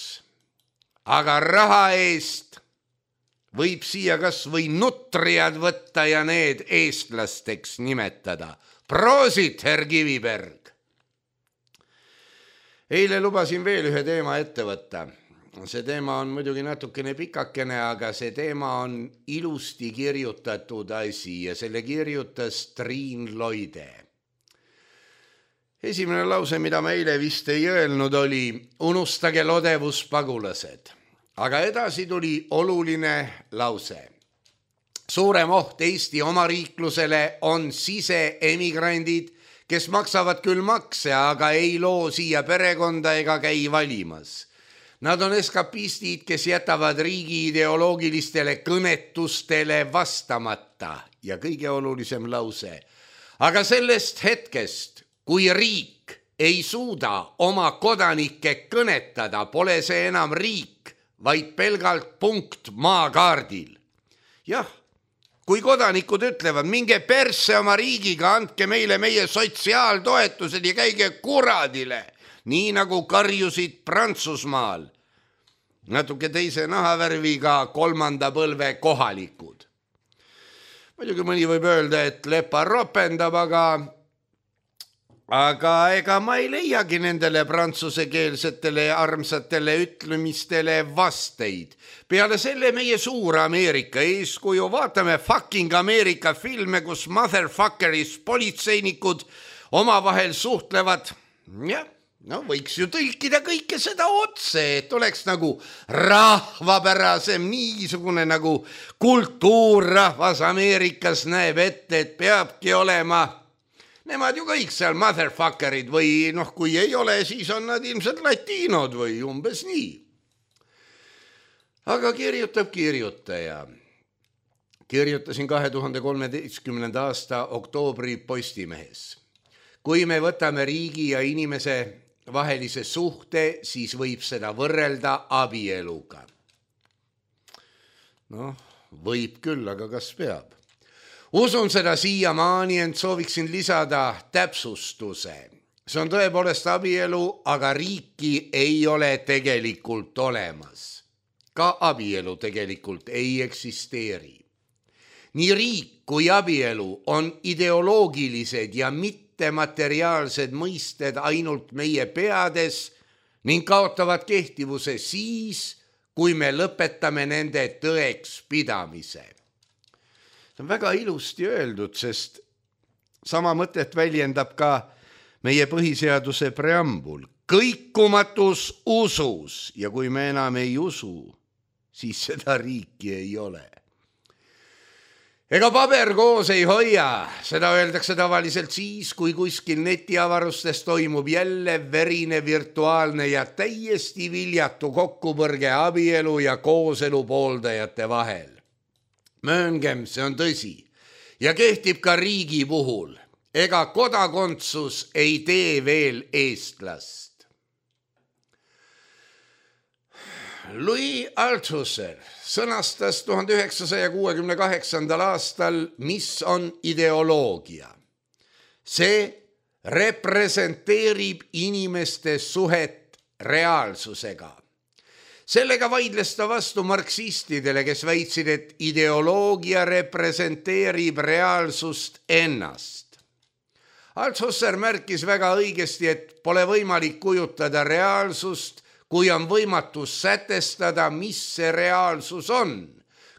aga raha eest võib siia kas või nutriad võtta ja need eestlasteks nimetada. Proosit, herr Kiviberg! Eile lubasin veel ühe teema ette võtta. See teema on muidugi natukene pikakene, aga see teema on ilusti kirjutatud asi ja selle kirjutas Triin Loide. Esimene lause, mida ma eile vist ei öelnud, oli unustage lodevuspagulased. Aga edasi tuli oluline lause. Suurem oht Eesti omariiklusele on siseemigrandid, kes maksavad küll makse, aga ei loo siia perekonda ega käi valimas. Nad on eskapistid, kes jätavad riigi ideoloogilistele kõnetustele vastamata ja kõige olulisem lause. Aga sellest hetkest, kui riik ei suuda oma kodanikke kõnetada, pole see enam riik, vaid pelgalt punkt maakaardil. Jah, kui kodanikud ütlevad, minge persse oma riigiga, andke meile meie sotsiaaltoetused ja käige kuradile, nii nagu karjusid Prantsusmaal. Natuke teise nahavärviga kolmanda põlve kohalikud. Muidugi mõni võib öelda, et lepa ropendab, aga, aga ega ma ei leiagi nendele prantsusekeelsetele armsatele ütlemistele vasteid. Peale selle meie suur Ameerika eeskuju, vaatame fucking Ameerika filme, kus motherfuckeris politseinikud omavahel suhtlevad. Jah. No võiks ju tõlkida kõike seda otse, et oleks nagu rahvapärasem, niisugune nagu kultuurrahvas Ameerikas näeb ette, et peabki olema. Nemad ju kõik seal motherfuckerid või noh, kui ei ole, siis on nad ilmselt latiinod või umbes nii. Aga kirjutab kirjutaja. Kirjutasin kahe tuhande kolmeteistkümnenda aasta oktoobri Postimehes. Kui me võtame riigi ja inimese vahelise suhte, siis võib seda võrrelda abieluga. Noh, võib küll, aga kas peab? Usun seda siiamaani, ent sooviksin lisada täpsustuse. See on tõepoolest abielu, aga riiki ei ole tegelikult olemas. Ka abielu tegelikult ei eksisteeri. Nii riik kui abielu on ideoloogilised ja mitte materiaalsed mõisted ainult meie peades ning kaotavad kehtivuse siis, kui me lõpetame nende tõeks pidamise. See on väga ilusti öeldud, sest sama mõtet väljendab ka meie põhiseaduse preambul. Kõikumatus usus ja kui me enam ei usu, siis seda riiki ei ole. Ega paber koos ei hoia, seda öeldakse tavaliselt siis, kui kuskil netiavarustes toimub jälle verine virtuaalne ja täiesti viljatu kokkupõrge abielu ja kooselu pooldajate vahel. Mööngem, see on tõsi ja kehtib ka riigi puhul. Ega kodakondsus ei tee veel eestlast. Louis Althusser sõnastas tuhande üheksasaja kuuekümne kaheksandal aastal, mis on ideoloogia. See representeerib inimeste suhet reaalsusega. Sellega vaidles ta vastu marksistidele, kes väitsid, et ideoloogia representeerib reaalsust ennast. Althusser märkis väga õigesti, et pole võimalik kujutada reaalsust, kui on võimatu sätestada, mis see reaalsus on.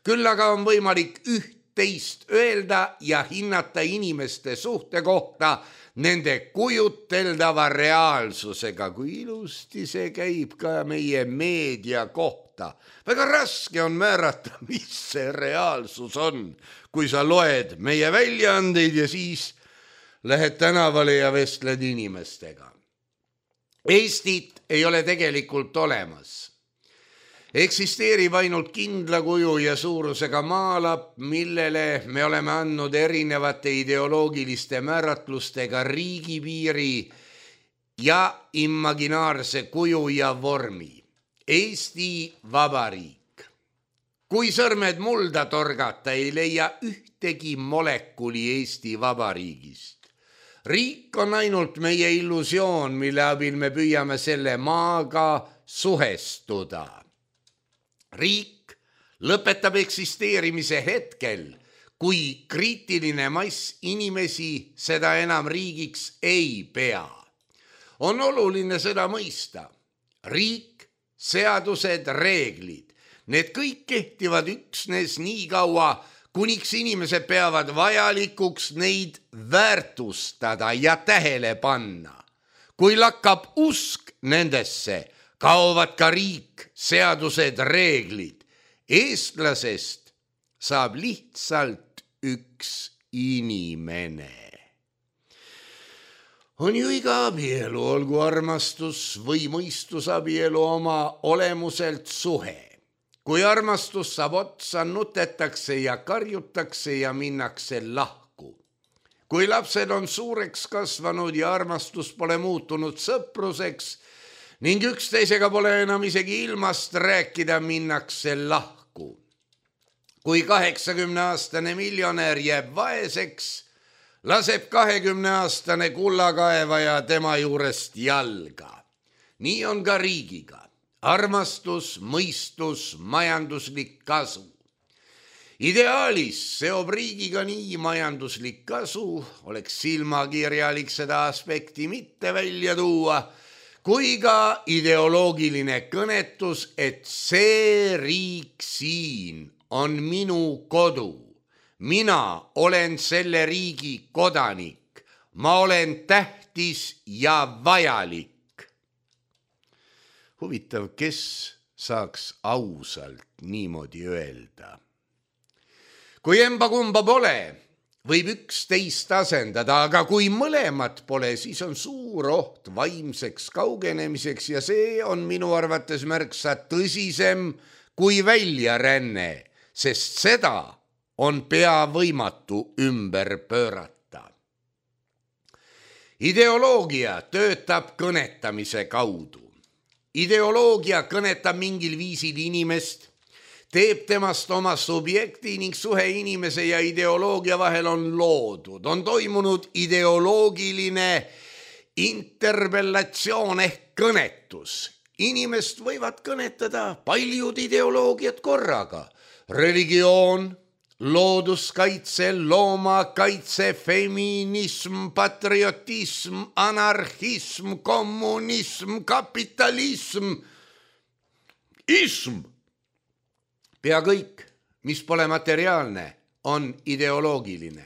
Küll aga on võimalik üht-teist öelda ja hinnata inimeste suhte kohta nende kujuteldava reaalsusega, kui ilusti see käib ka meie meedia kohta. Väga raske on määrata, mis see reaalsus on, kui sa loed meie väljaandeid ja siis lähed tänavale ja vestled inimestega. Eestit ei ole tegelikult olemas. Eksisteerib ainult kindla kuju ja suurusega maalap, millele me oleme andnud erinevate ideoloogiliste määratlustega riigipiiri ja imaginaarse kuju ja vormi. Eesti Vabariik. Kui sõrmed mulda torgata, ei leia ühtegi molekuli Eesti Vabariigist. Riik on ainult meie illusioon, mille abil me püüame selle maaga suhestuda. Riik lõpetab eksisteerimise hetkel, kui kriitiline mass inimesi seda enam riigiks ei pea. On oluline seda mõista. Riik, seadused, reeglid, need kõik kehtivad üksnes nii kaua, kuniks inimesed peavad vajalikuks neid väärtustada ja tähele panna. Kui lakkab usk nendesse, kaovad ka riik, seadused, reeglid. Eestlasest saab lihtsalt üks inimene. On ju iga abielu, olgu armastus või mõistusabielu oma olemuselt suhe. Kui armastus saab otsa, nutetakse ja karjutakse ja minnakse lahku. Kui lapsed on suureks kasvanud ja armastus pole muutunud sõpruseks, ning üksteisega pole enam isegi ilmast rääkida, minnakse lahku. Kui kaheksakümneaastane miljonär jääb vaeseks, laseb kahekümneaastane kullakaevaja tema juurest jalga. Nii on ka riigiga. Armastus, mõistus, majanduslik kasu. Ideaalis seob riigiga nii majanduslik kasu, oleks silmakirjalik seda aspekti mitte välja tuua, kui ka ideoloogiline kõnetus, et see riik siin on minu kodu. Mina olen selle riigi kodanik. Ma olen tähtis ja vajalik. Huvitav, kes saaks ausalt niimoodi öelda. Kui emba kumba pole, võib üksteist asendada, aga kui mõlemat pole, siis on suur oht vaimseks kaugenemiseks ja see on minu arvates märksa tõsisem kui väljaränne, sest seda on pea võimatu ümber pöörata. Ideoloogia töötab kõnetamise kaudu. Ideoloogia kõnetab mingil viisil inimest, teeb temast oma subjekti ning suhe inimese ja ideoloogia vahel on loodud. On toimunud ideoloogiline interpellatsioon ehk kõnetus. Inimest võivad kõnetada paljud ideoloogiad korraga. Religioon, looduskaitse, loomakaitse, feminism, patriotism, anarhism, kommunism, kapitalism, ism. Pea kõik, mis pole materiaalne, on ideoloogiline.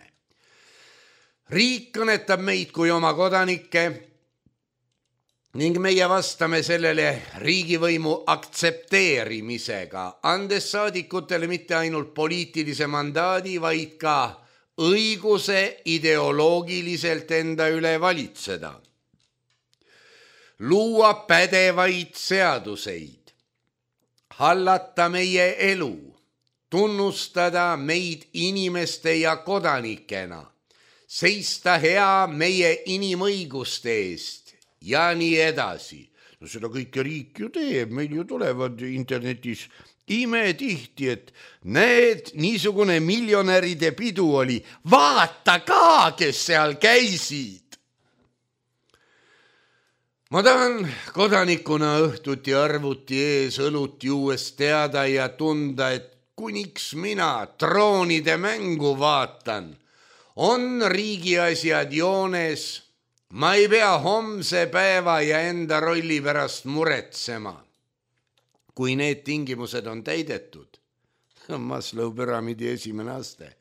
Riik kõnetab meid kui oma kodanikke ning meie vastame sellele riigivõimu aktsepteerimisega, andes saadikutele mitte ainult poliitilise mandaadi, vaid ka õiguse ideoloogiliselt enda üle valitseda. Luua pädevaid seaduseid, hallata meie elu, tunnustada meid inimeste ja kodanikena, seista hea meie inimõiguste eest ja nii edasi. No seda kõike riik ju teeb, meil ju tulevad internetis imetihti, et näed, niisugune miljonäride pidu oli, vaata ka, kes seal käisid. Ma tahan kodanikuna õhtuti arvuti ees õlut juues teada ja tunda, et kuniks mina troonide mängu vaatan, on riigiasjad joones. Ma ei pea homse päeva ja enda rolli pärast muretsema. Kui need tingimused on täidetud, Maslow püramiidi esimene aste,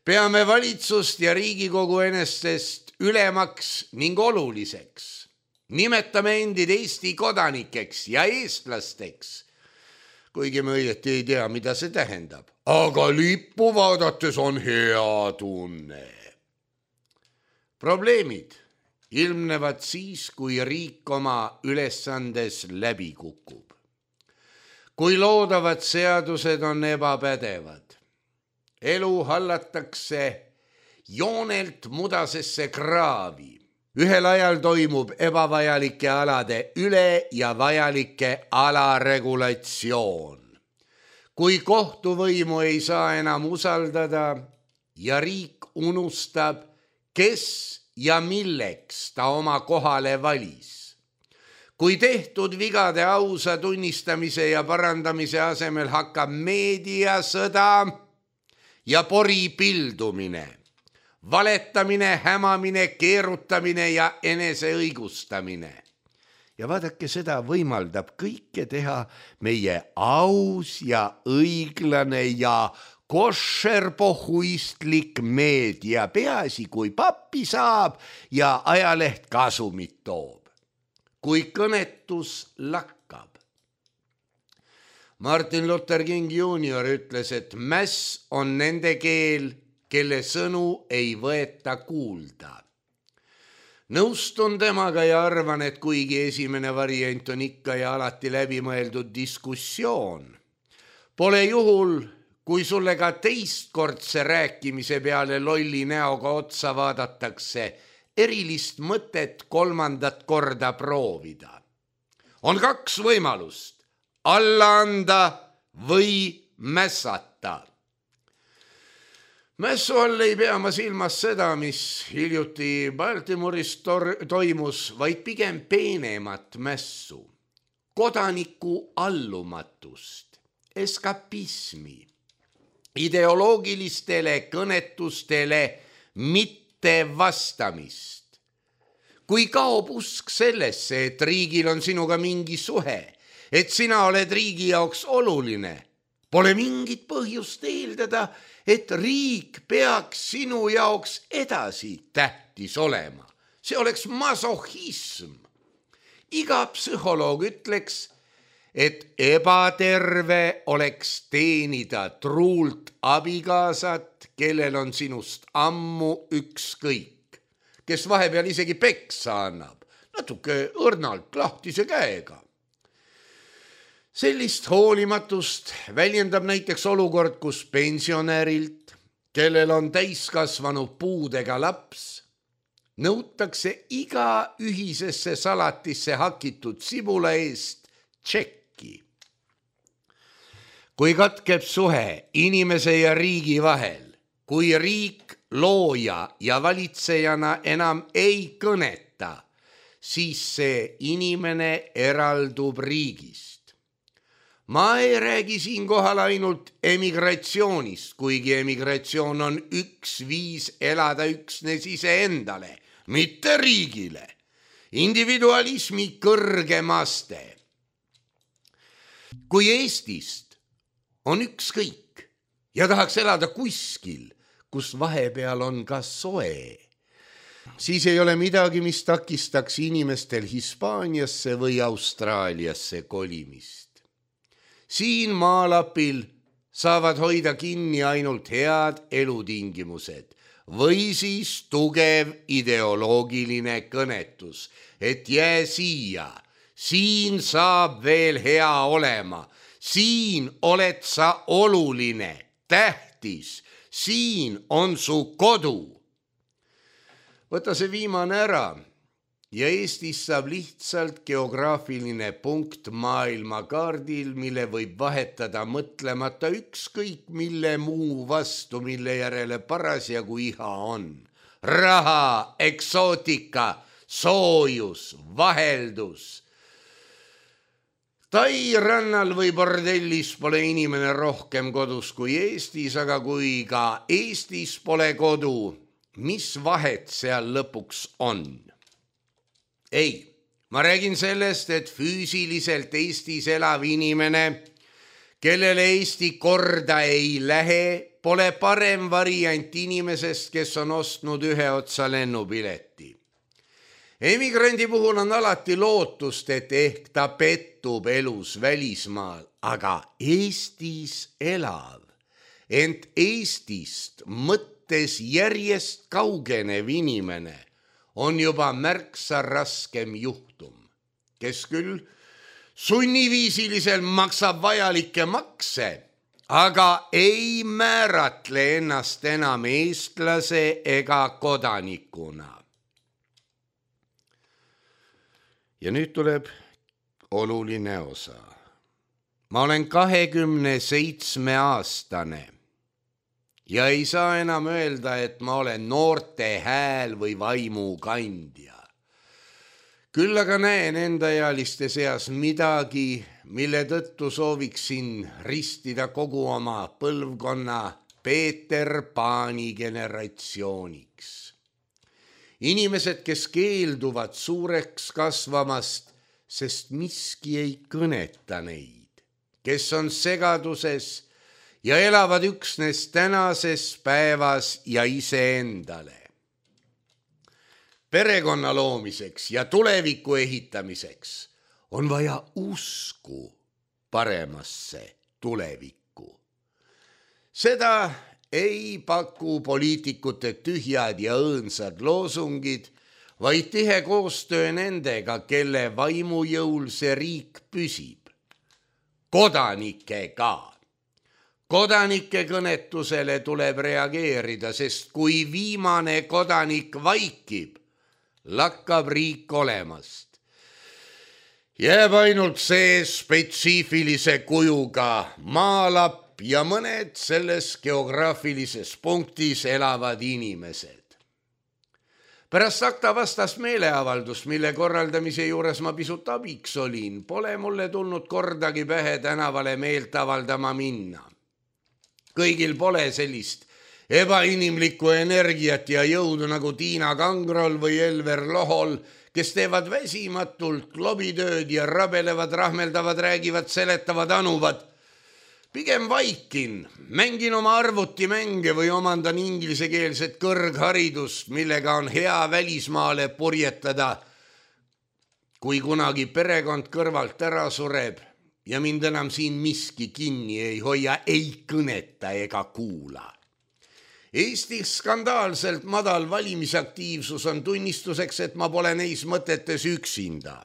peame valitsust ja Riigikogu enestest ülemaks ning oluliseks. Nimetame endid Eesti kodanikeks ja eestlasteks, kuigi me õieti ei tea, mida see tähendab. Aga lippu vaadates on hea tunne. Probleemid ilmnevad siis, kui riik oma ülesandes läbi kukub. Kui loodavad seadused on ebapädevad. Elu hallatakse joonelt mudasesse kraavi. Ühel ajal toimub ebavajalike alade üle ja vajalike alaregulatsioon. Kui kohtuvõimu ei saa enam usaldada ja riik unustab, kes ja milleks ta oma kohale valis. Kui tehtud vigade ausa tunnistamise ja parandamise asemel hakkab meediasõda ja pori pildumine, valetamine, hämamine, keerutamine ja eneseõigustamine. Ja vaadake, seda võimaldab kõike teha meie aus ja õiglane ja koššerpohuistlik meedia, peaasi kui pappi saab ja ajaleht kasumit toob. Kui kõnetus lakkab. Martin Luther King juunior ütles, et mäss on nende keel, kelle sõnu ei võeta kuulda. Nõustun temaga ja arvan, et kuigi esimene variant on ikka ja alati läbimõeldud diskussioon, pole juhul, kui sulle ka teistkordse rääkimise peale lolli näoga otsa vaadatakse, erilist mõtet kolmandat korda proovida. On kaks võimalust, alla anda või mässata. Mässu all ei pea ma silmas seda, mis hiljuti Baltimoris toimus, vaid pigem peenemat mässu, kodaniku allumatust, eskapismi, ideoloogilistele kõnetustele mitte vastamist. Kui kaob usk sellesse, et riigil on sinuga mingi suhe, et sina oled riigi jaoks oluline, pole mingit põhjust eeldada, et riik peaks sinu jaoks edasi tähtis olema. See oleks masohism. Iga psühholoog ütleks, et ebaterve oleks teenida truult abikaasat, kellel on sinust ammu ükskõik, kes vahepeal isegi peksa annab, natuke õrnalt lahtise käega. Sellist hoolimatust väljendab näiteks olukord, kus pensionärilt, kellel on täiskasvanu puudega laps, nõutakse iga ühisesse salatisse hakitud sibula eest tšekki. Kui katkeb suhe inimese ja riigi vahel, kui riik looja ja valitsejana enam ei kõneta, siis see inimene eraldub riigist. Ma ei räägi siinkohal ainult emigratsioonist, kuigi emigratsioon on üks viis elada üksnes iseendale, mitte riigile. Individualismi kõrgem aste. Kui Eestist on ükskõik ja tahaks elada kuskil, kus vahepeal on ka soe, siis ei ole midagi, mis takistaks inimestel Hispaaniasse või Austraaliasse kolimist. Siin maalapil saavad hoida kinni ainult head elutingimused või siis tugev ideoloogiline kõnetus, et jää siia, siin saab veel hea olema, siin oled sa oluline, tähtis, siin on su kodu. Võta see viimane ära. Ja Eestis saab lihtsalt geograafiline punkt maailmakaardil, mille võib vahetada mõtlemata ükskõik mille muu vastu, mille järele parasjagu iha on. Raha, eksootika, soojus, vaheldus. Tai rannal või bordellis pole inimene rohkem kodus kui Eestis, aga kui ka Eestis pole kodu, mis vahet seal lõpuks on? Ei, ma räägin sellest, et füüsiliselt Eestis elav inimene, kellele Eesti korda ei lähe, pole parem variant inimesest, kes on ostnud ühe otsa lennupileti. Emigrandi puhul on alati lootust, et ehk ta pettub elus välismaal, aga Eestis elav, ent Eestist mõttes järjest kaugenev inimene on juba märksa raskem juhtum, kes küll sunniviisilisel maksab vajalikke makse, aga ei määratle ennast enam eestlase ega kodanikuna. Ja nüüd tuleb oluline osa. Ma olen kahekümne seitsme aastane ja ei saa enam öelda, et ma olen noorte hääl või vaimu kandja. Küll aga näen endaealiste seas midagi, mille tõttu sooviksin ristida kogu oma põlvkonna Peeter Paani generatsiooniks. Inimesed, kes keelduvad suureks kasvamast, sest miski ei kõneta neid, kes on segaduses ja elavad üksnes tänases päevas ja iseendale. Perekonna loomiseks ja tuleviku ehitamiseks on vaja usku paremasse tulevikku. Seda ei paku poliitikute tühjad ja õõnsad loosungid, vaid tihe koostöö nendega, kelle vaimujõul see riik püsib. Kodanikega. Kodanike kõnetusele tuleb reageerida, sest kui viimane kodanik vaikib, lakkab riik olemast. Jääb ainult see spetsiifilise kujuga maalapp ja mõned selles geograafilises punktis elavad inimesed. Pärast akta vastast meeleavaldust, mille korraldamise juures ma pisut abiks olin, pole mulle tulnud kordagi pähe tänavale meelt avaldama minna. Kõigil pole sellist ebainimlikku energiat ja jõudu nagu Tiina Kangrol või Elver Lohol, kes teevad väsimatult lobitööd ja rabelevad, rahmeldavad, räägivad, seletavad, anuvad. Pigem vaikin, mängin oma arvutimänge või omandan inglisekeelset kõrgharidust, millega on hea välismaale purjetada, kui kunagi perekond kõrvalt ära sureb ja mind enam siin miski kinni ei hoia, ei kõneta ega kuula. Eesti skandaalselt madal valimisaktiivsus on tunnistuseks, et ma pole neis mõtetes üksinda.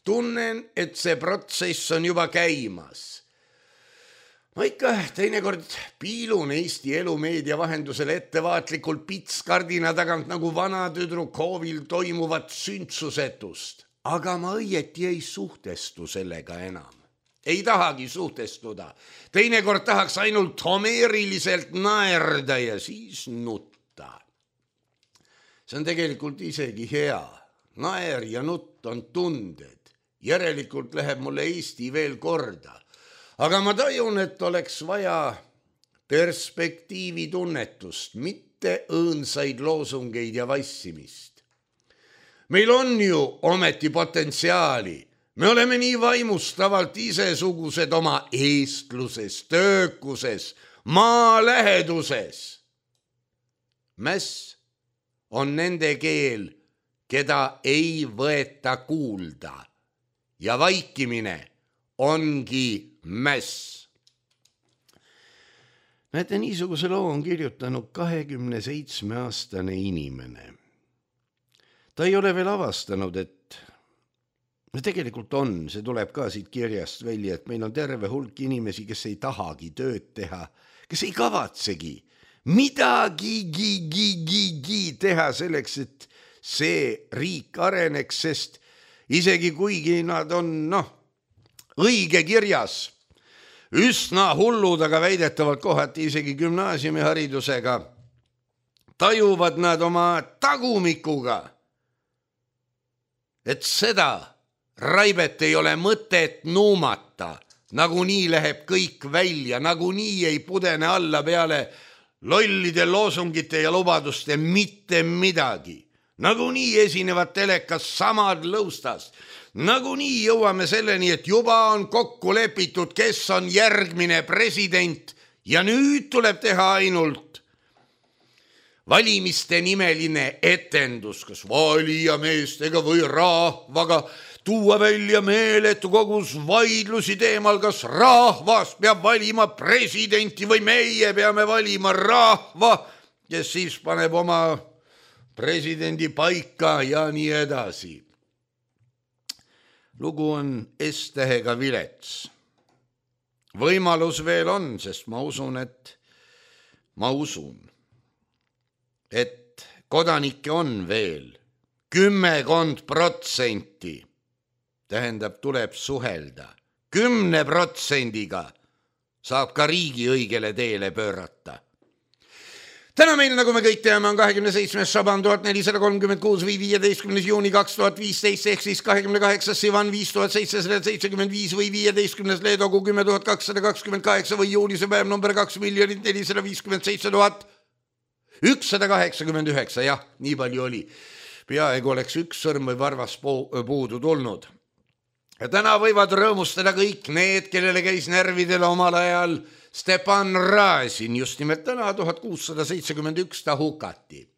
Tunnen, et see protsess on juba käimas. Ma ikka teinekord piilun Eesti elumeedia vahendusel ettevaatlikult pitskardina tagant nagu vana tüdruk hoovil toimuvat sündsusetust, aga ma õieti ei suhtestu sellega enam. Ei tahagi suhtestuda. Teinekord tahaks ainult homeeriliselt naerda ja siis nutta. See on tegelikult isegi hea. Naer ja nutt on tunded. Järelikult läheb mulle Eesti veel korda. Aga ma tajun, et oleks vaja perspektiivi tunnetust, mitte õõnsaid loosungeid ja vassimist. Meil on ju ometi potentsiaali. Me oleme nii vaimustavalt isesugused oma eestluses, töökuses, maaläheduses. Mäss on nende keel, keda ei võeta kuulda. Ja vaikimine ongi mäss. Näete, niisuguse loo on kirjutanud kahekümne seitsme aastane inimene. Ta ei ole veel avastanud, et no tegelikult on, see tuleb ka siit kirjast välja, et meil on terve hulk inimesi, kes ei tahagi tööd teha, kes ei kavatsegi midagigi teha selleks, et see riik areneks, sest isegi kuigi nad on, noh, õige kirjas, üsna hullud, aga väidetavalt kohati isegi gümnaasiumiharidusega, tajuvad nad oma tagumikuga, et seda raibet ei ole mõtet nuumata, nagunii läheb kõik välja, nagunii ei pudene alla peale lollide loosungite ja lubaduste mitte midagi. nagunii esinevad telekas samad lõustast. Nagunii jõuame selleni, et juba on kokku lepitud, kes on järgmine president ja nüüd tuleb teha ainult valimiste nimeline etendus, kas valijameestega või rahvaga, tuua välja meeletu kogus vaidlusi teemal, kas rahvas peab valima presidenti või meie peame valima rahva, kes siis paneb oma presidendi paika ja nii edasi. Lugu on S-tähega vilets. Võimalus veel on, sest ma usun, et ma usun, et kodanikke on veel kümmekond protsenti. Tähendab, tuleb suhelda. Kümne protsendiga saab ka riigi õigele teele pöörata. Täna meil, nagu me kõik teame, on kahekümne seitsmes Šaban tuhat nelisada kolmkümmend kuus või viieteistkümnes juuni kaks tuhat viisteist ehk siis kahekümne kaheksas Sivan viis tuhat seitsesada seitsekümmend viis või viieteistkümnes Leedogu kümme tuhat kakssada kakskümmend kaheksa või juunise päev number kaks miljonit nelisada viiskümmend seitse tuhat ükssada kaheksakümmend üheksa. Jah, nii palju oli. Peaaegu oleks üks sõrm või varvas puudu tulnud. Ja täna võivad rõõmustada kõik need, kellele käis närvidele omal ajal Stepan Razin, just nimelt täna tuhat kuussada seitsekümmend üks ta hukati.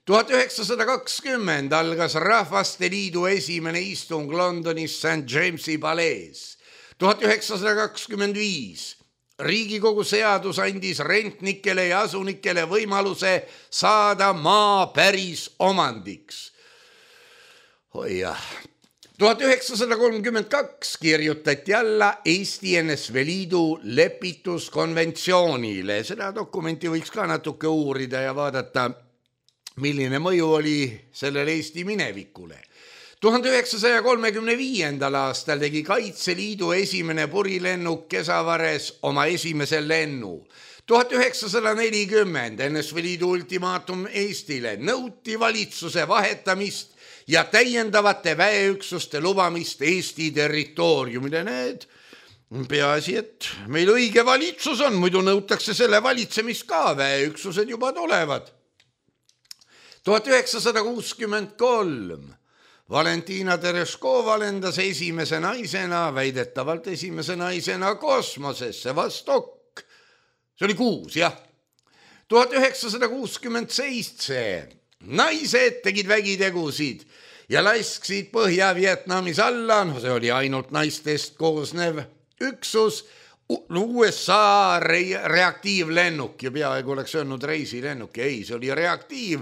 tuhat üheksasada kakskümmend algas Rahvaste Liidu esimene istung Londonis Saint Jamesi palees. tuhat üheksasada kakskümmend viis Riigikogu seadus andis rentnikele ja asunikele võimaluse saada maa päris omandiks. Oi jah. tuhat üheksasada kolmkümmend kaks kirjutati alla Eesti N S V Liidu lepituskonventsioonile. Seda dokumenti võiks ka natuke uurida ja vaadata, milline mõju oli sellel Eesti minevikule. tuhande üheksasaja kolmekümne viiendal aastal tegi Kaitseliidu esimene purilennuk Kesavares oma esimese lennu. tuhat üheksasada nelikümmend N S V Liidu ultimaatum Eestile nõuti valitsuse vahetamist ja täiendavate väeüksuste lubamist Eesti territooriumile. Need peaasi, et meil õige valitsus on, muidu nõutakse selle valitsemist ka, väeüksused juba tulevad. tuhat üheksasada kuuskümmend kolm Valentina Tereshkova lendas esimese naisena, väidetavalt esimese naisena kosmosesse, Vostok. See oli kuus, jah. tuhat üheksasada kuuskümmend seitse naised tegid vägitegusid ja lasksid Põhja-Vietnamis alla, no see oli ainult naistest koosnev üksus, U S A reaktiivlennuk ja peaaegu oleks öelnud reisilennuk, ei, see oli reaktiiv.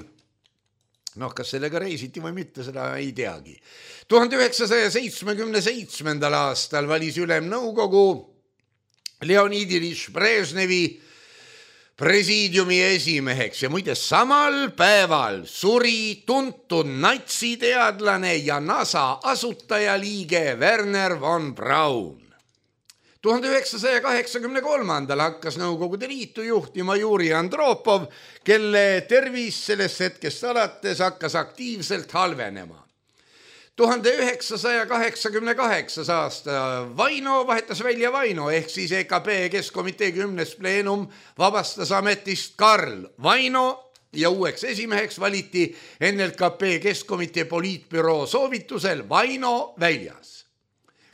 Noh, kas sellega reisiti või mitte, seda ei teagi. tuhande üheksasaja seitsmekümne seitsmendal aastal valis ülemnõukogu Leonid Ilyich Brežnevi presiidiumi esimeheks ja muide samal päeval suri tuntud natsiteadlane ja NASA asutajaliige Werner von Braun. tuhande üheksasaja kaheksakümne kolmandal hakkas Nõukogude Liitu juhtima Juri Andropov, kelle tervis sellest hetkest alates hakkas aktiivselt halvenema. tuhande üheksasaja kaheksakümne kaheksas aasta Vaino vahetas välja Vaino ehk siis E K P Keskkomitee kümnes pleenum vabastas ametist Karl Vaino ja uueks esimeheks valiti N L K P Keskkomitee poliitbüroo soovitusel Vaino väljas.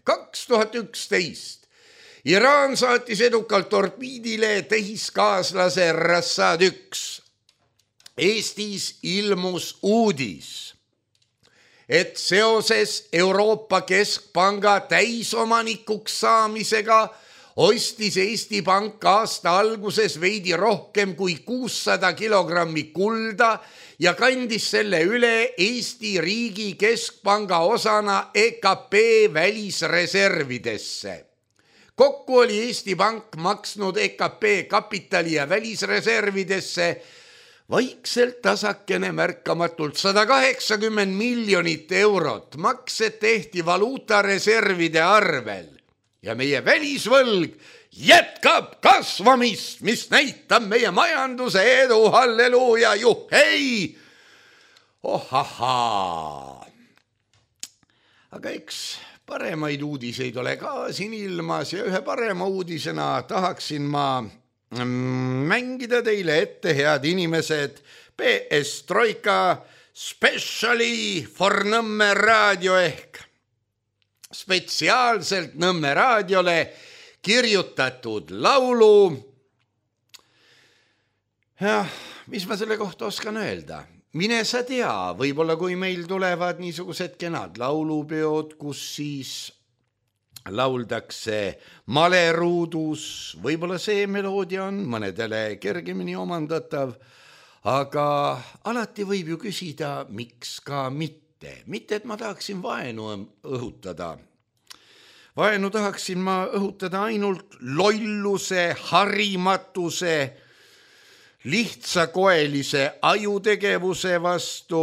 kaks tuhat üksteist Iraan saatis edukalt torpiidile tehiskaaslase Rassad üks. Eestis ilmus uudis, et seoses Euroopa Keskpanga täisomanikuks saamisega ostis Eesti Pank aasta alguses veidi rohkem kui kuussada kilogrammi kulda ja kandis selle üle Eesti riigi keskpanga osana E K P välisreservidesse. Kokku oli Eesti Pank maksnud E K P kapitali ja välisreservidesse vaikselt tasakene märkamatult sada kaheksakümmend miljonit eurot. Maksed tehti valuutareservide arvel ja meie välisvõlg jätkab kasvamist, mis näitab meie majanduse edu, halleluuja, juhhei! Ohahaa! Aga eks paremaid uudiseid ole ka siin ilmas ja ühe parema uudisena tahaksin ma mängida teile ette, head inimesed, P S Troika Specially for Nõmme raadio ehk spetsiaalselt Nõmme raadiole kirjutatud laulu. Jah, mis ma selle kohta oskan öelda? Mine sa tea, võib-olla kui meil tulevad niisugused kenad laulupeod, kus siis lauldakse maleruudus, võib-olla see meloodia on mõnedele kergemini omandatav, aga alati võib ju küsida, miks ka mitte. Mitte, et ma tahaksin vaenu õhutada. Vaenu tahaksin ma õhutada ainult lolluse, harimatuse, lihtsakoelise ajutegevuse vastu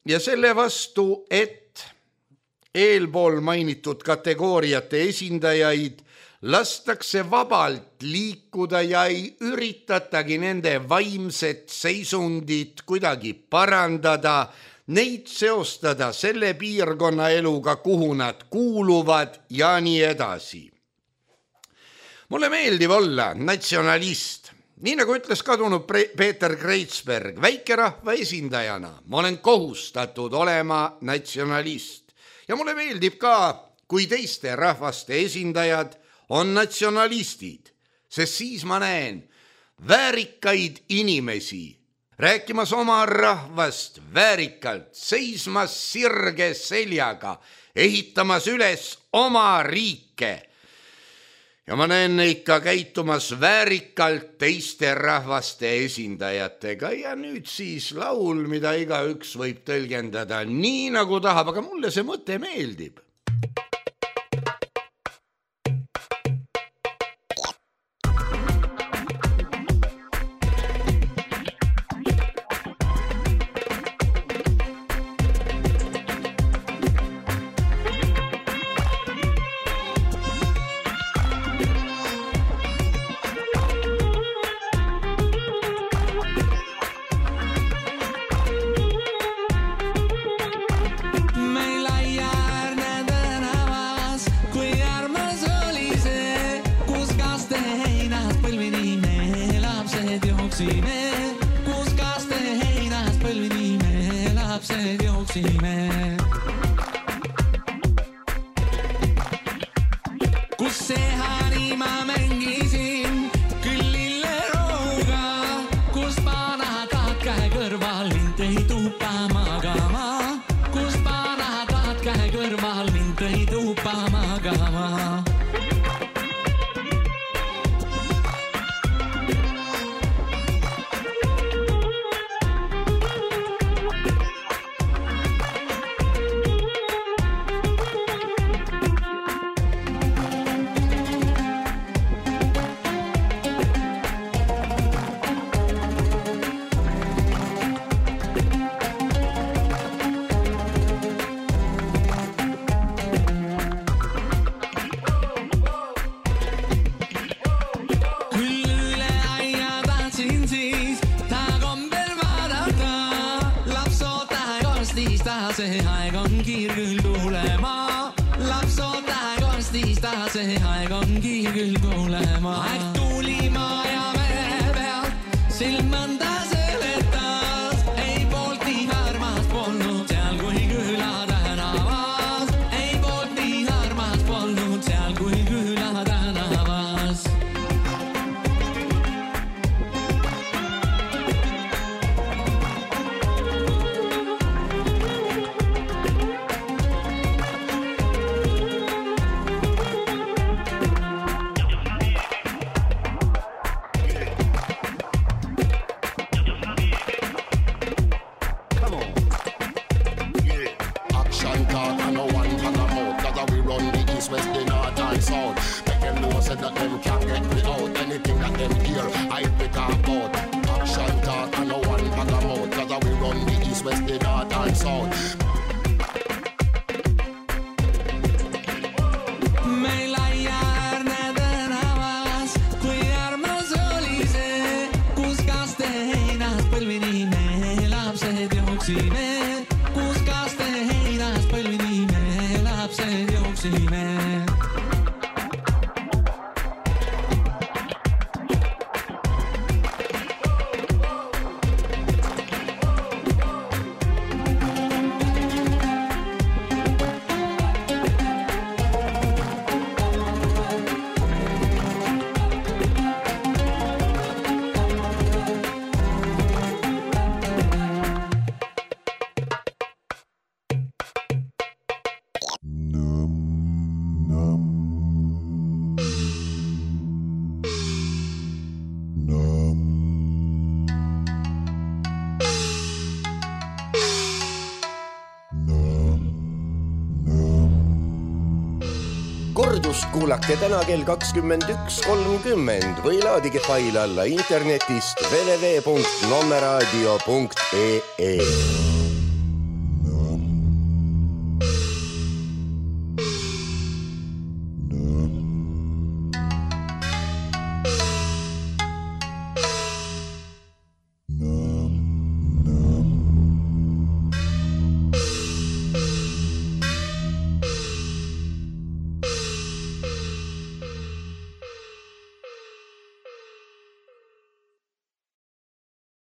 ja selle vastu, et eelpool mainitud kategooriate esindajaid lastakse vabalt liikuda ja ei üritatagi nende vaimset seisundit kuidagi parandada, neid seostada selle piirkonna eluga, kuhu nad kuuluvad ja nii edasi. Mulle meeldib olla natsionalist. Nii nagu ütles kadunud Peeter Kreitsberg, väikerahva esindajana ma olen kohustatud olema natsionalist. Ja mulle meeldib ka, kui teiste rahvaste esindajad on natsionalistid, sest siis ma näen väärikaid inimesi rääkimas oma rahvast väärikalt, seismas sirge seljaga, ehitamas üles oma riike. Ja ma näen neid ka käitumas väärikalt teiste rahvaste esindajatega ja nüüd siis laul, mida igaüks võib tõlgendada nii nagu tahab, aga mulle see mõte meeldib. kordust kuulake täna kell kakskümmend üks kolmkümmend või laadige fail alla internetist w w w punkt nommeraadio punkt e e.